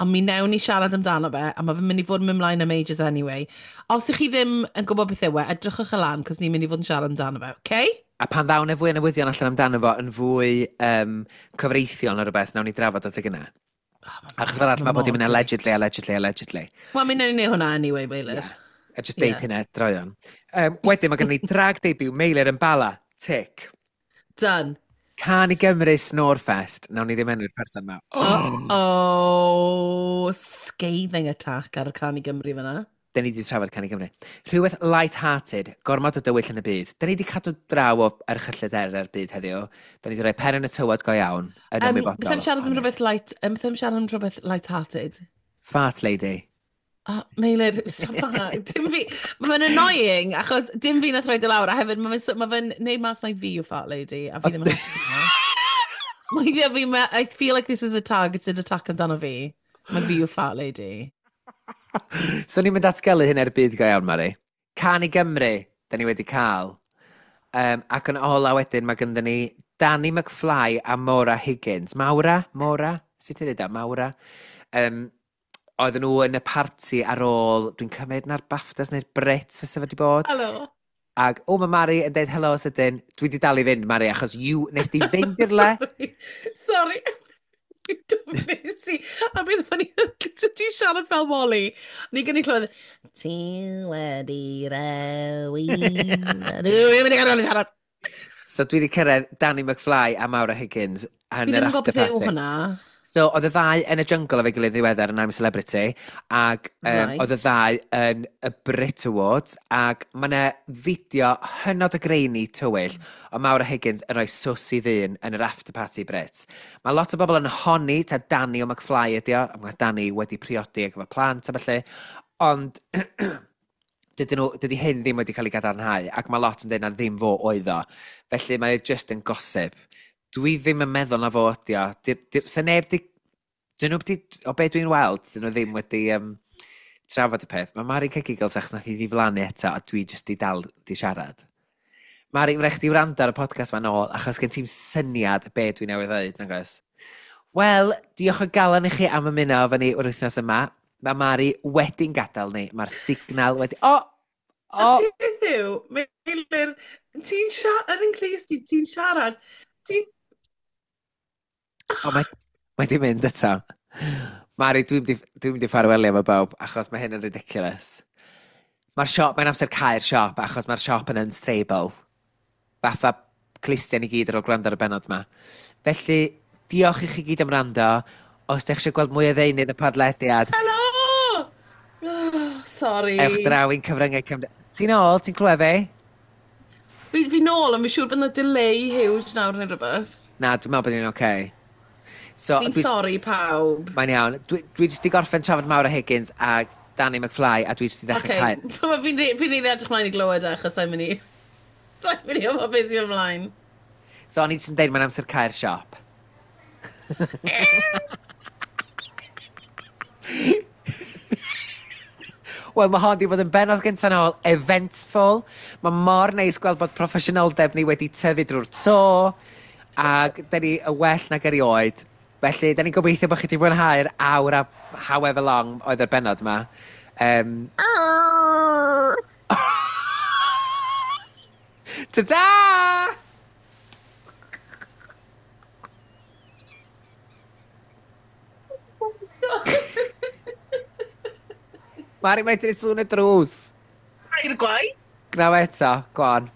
B: ond mi newn ni siarad amdano fe, a mae fe'n mynd i fod yn mynd mlaen am ages anyway. Os ych chi ddim yn gwybod beth yw e, edrychwch y lan, cos ni'n mynd i fod yn siarad amdano fe, okay?
C: A pan ddawn e fwy o newyddion allan amdano fo yn fwy um, cyfreithiol neu rhywbeth, nawn ni drafod adeg yna. Oh, Achos fel arall mae bod i'n mynd allegedly, allegedly, allegedly.
B: Wel, mi newn ni wneud hwnna anyway, Meilir. Yeah.
C: A just deud yeah. hynna, droion. Um, wedyn mae gen ni drag debut Meilir yn Bala. Tick.
B: Done.
C: Cân i Gymru Snorefest. Nawn ni ddim enwi'r person yma.
B: Oh. Oh, scathing attack ar y Cân i Gymru fyna.
C: Da ni wedi trafod Cân i Gymru. Rhywbeth light-hearted, gormod o dywyll yn y byd. Da ni wedi cadw draw o erchyllter ar byd heddiw. Da ni wedi rhoi pen yn y tywod go iawn, yn um, ymwybodol.
B: Beth am siarad am rhywbeth light, um, beth am siarad am rhywbeth light-hearted?
C: Fart lady.
B: Oh, Meilir, stop that. Dim fi, mae fe'n annoying, achos dim fi nath roid e lawr, a hefyd mae fe'n ma fe neud mas mai fi yw fart lady, a fi ddim yn hapus hwnna. Weithiau fi, I feel like this is a targeted attack amdano fi. Mae fi yw fart lady.
C: So ni'n mynd datgelu hyn er byd go iawn, Mari. Cân i Gymru, da ni wedi cael. Um, ac yn ola wedyn, mae gynddon ni Danny McFly a Maura Higgins. Maura? Maura? Sut ti'n dweud o? Maura? Um, oedden nhw yn y parti ar ôl, dwi'n cymryd na'r BAFTAs neu'r Brits fysa fe wedi bod.
B: Helo.
C: Ac, o, mae Mari yn deud helo sydyn. Dwi wedi dal i fynd, Mari, achos you, nes di fynd i'r le.
B: Sorry. Sorry. Nes i, a bydd funny, ti'n siarad fel Wally. Ni gen i clywed, ti wedi rewi. Dwi'n mynd i gadael i siarad.
C: So dwi wedi cyrraedd Danny McFly a Maura Higgins
B: Fi
C: yn
B: ddim
C: yr
B: yn gwybod
C: after
B: beth yw
C: party.
B: hwnna.
C: So, oedd y ddau yn y jungle efo'i gilydd ddiweddar yn I'm a Celebrity, ac um,
B: Right.
C: oedd y ddau yn y Brit Awards, ac mae yna fideo hynod o grainy tywyll o Maura Higgins yn rhoi sws i ddyn yn yr after party Brit. Mae lot o bobl yn honni ta Danny o McFly ydi o, a mae Danny wedi priodi ac efo plant a felly, ond dydyn nhw, dydy hyn ddim wedi cael ei gadarnhau, ac mae lot yn dweud na ddim fo oedd o. Felly mae o just yn gossip. Dwi ddim yn meddwl na fo ydi o. Di, di, se neb di... Dyn nhw di, o be dwi'n weld, dyn nhw ddim wedi um, trafod y peth. Mae Mari cael giggles achos nath hi ddiflannu eto a dwi jyst di dal di siarad. Mari, rhaid chdi wrando ar y podcast ma'n ôl achos gen ti'm syniad be dwi newydd ddeud, nag oes? Wel, diolch o galon i chi am ymuno efo ni yr wythnos yma. Mae Mari wedi'n gadael ni. Mae'r signal wedi... O! O!
B: Beth yw, Meilir, ti'n siarad, yn clust i, ti'n siarad, ti'n...
C: O, mae, mae di mynd eto. Mari, dwi'n mynd i, dwi'n mynd i ffarwelio efo bawb, achos mae hyn yn ridiculous. Mae'r siop, mae'n amser cau'r siop, achos mae'r siop yn unstable. Fatha clustiau ni gyd ar ôl gwrando ar y bennod yma. Felly, diolch i chi gyd am wrando. Os ydych chi eisiau gweld mwy o ddeunydd y podlediad,
B: Helo! Oh, sorry.
C: ewch draw i'n cyfryngau cymde... Ti'n ôl? Ti'n clywed fi?
B: Fi, fi nôl, ond fi'n siŵr bod yna delay huge nawr neu rhywbeth.
C: Na, dwi'n meddwl bod ni'n oce. Okay. So,
B: Fi'n
C: dwi-
B: sorry pawb.
C: Mae'n iawn. Dwi, dwi jyst di gorffen trafod Maura Higgins a Danny McFly a dwi jyst di ddechrau
B: Okay.
C: cael...
B: Fi'n fi rili edrych mlaen i glywed e, achos sa'n mynd i... Sa'n mynd i wybod beth sy'n ymlaen.
C: So o'n i jyst yn deud mae'n amser cau'r siop. Wel, mae hon di bod yn bennod gyntaf nôl, eventful. Mae mor neis gweld bod proffesiynoldeb ni wedi tyfu drwy'r to, ac da ni y well nag erioed. Felly, da ni'n gobeithio bod chi wedi mwynhau'r awr a however long oedd yr bennod yma. Um, Ta-da! Mari, mae'n tynnu sŵn y drws.
B: Air gwaith.
C: Gnaw eto, go on.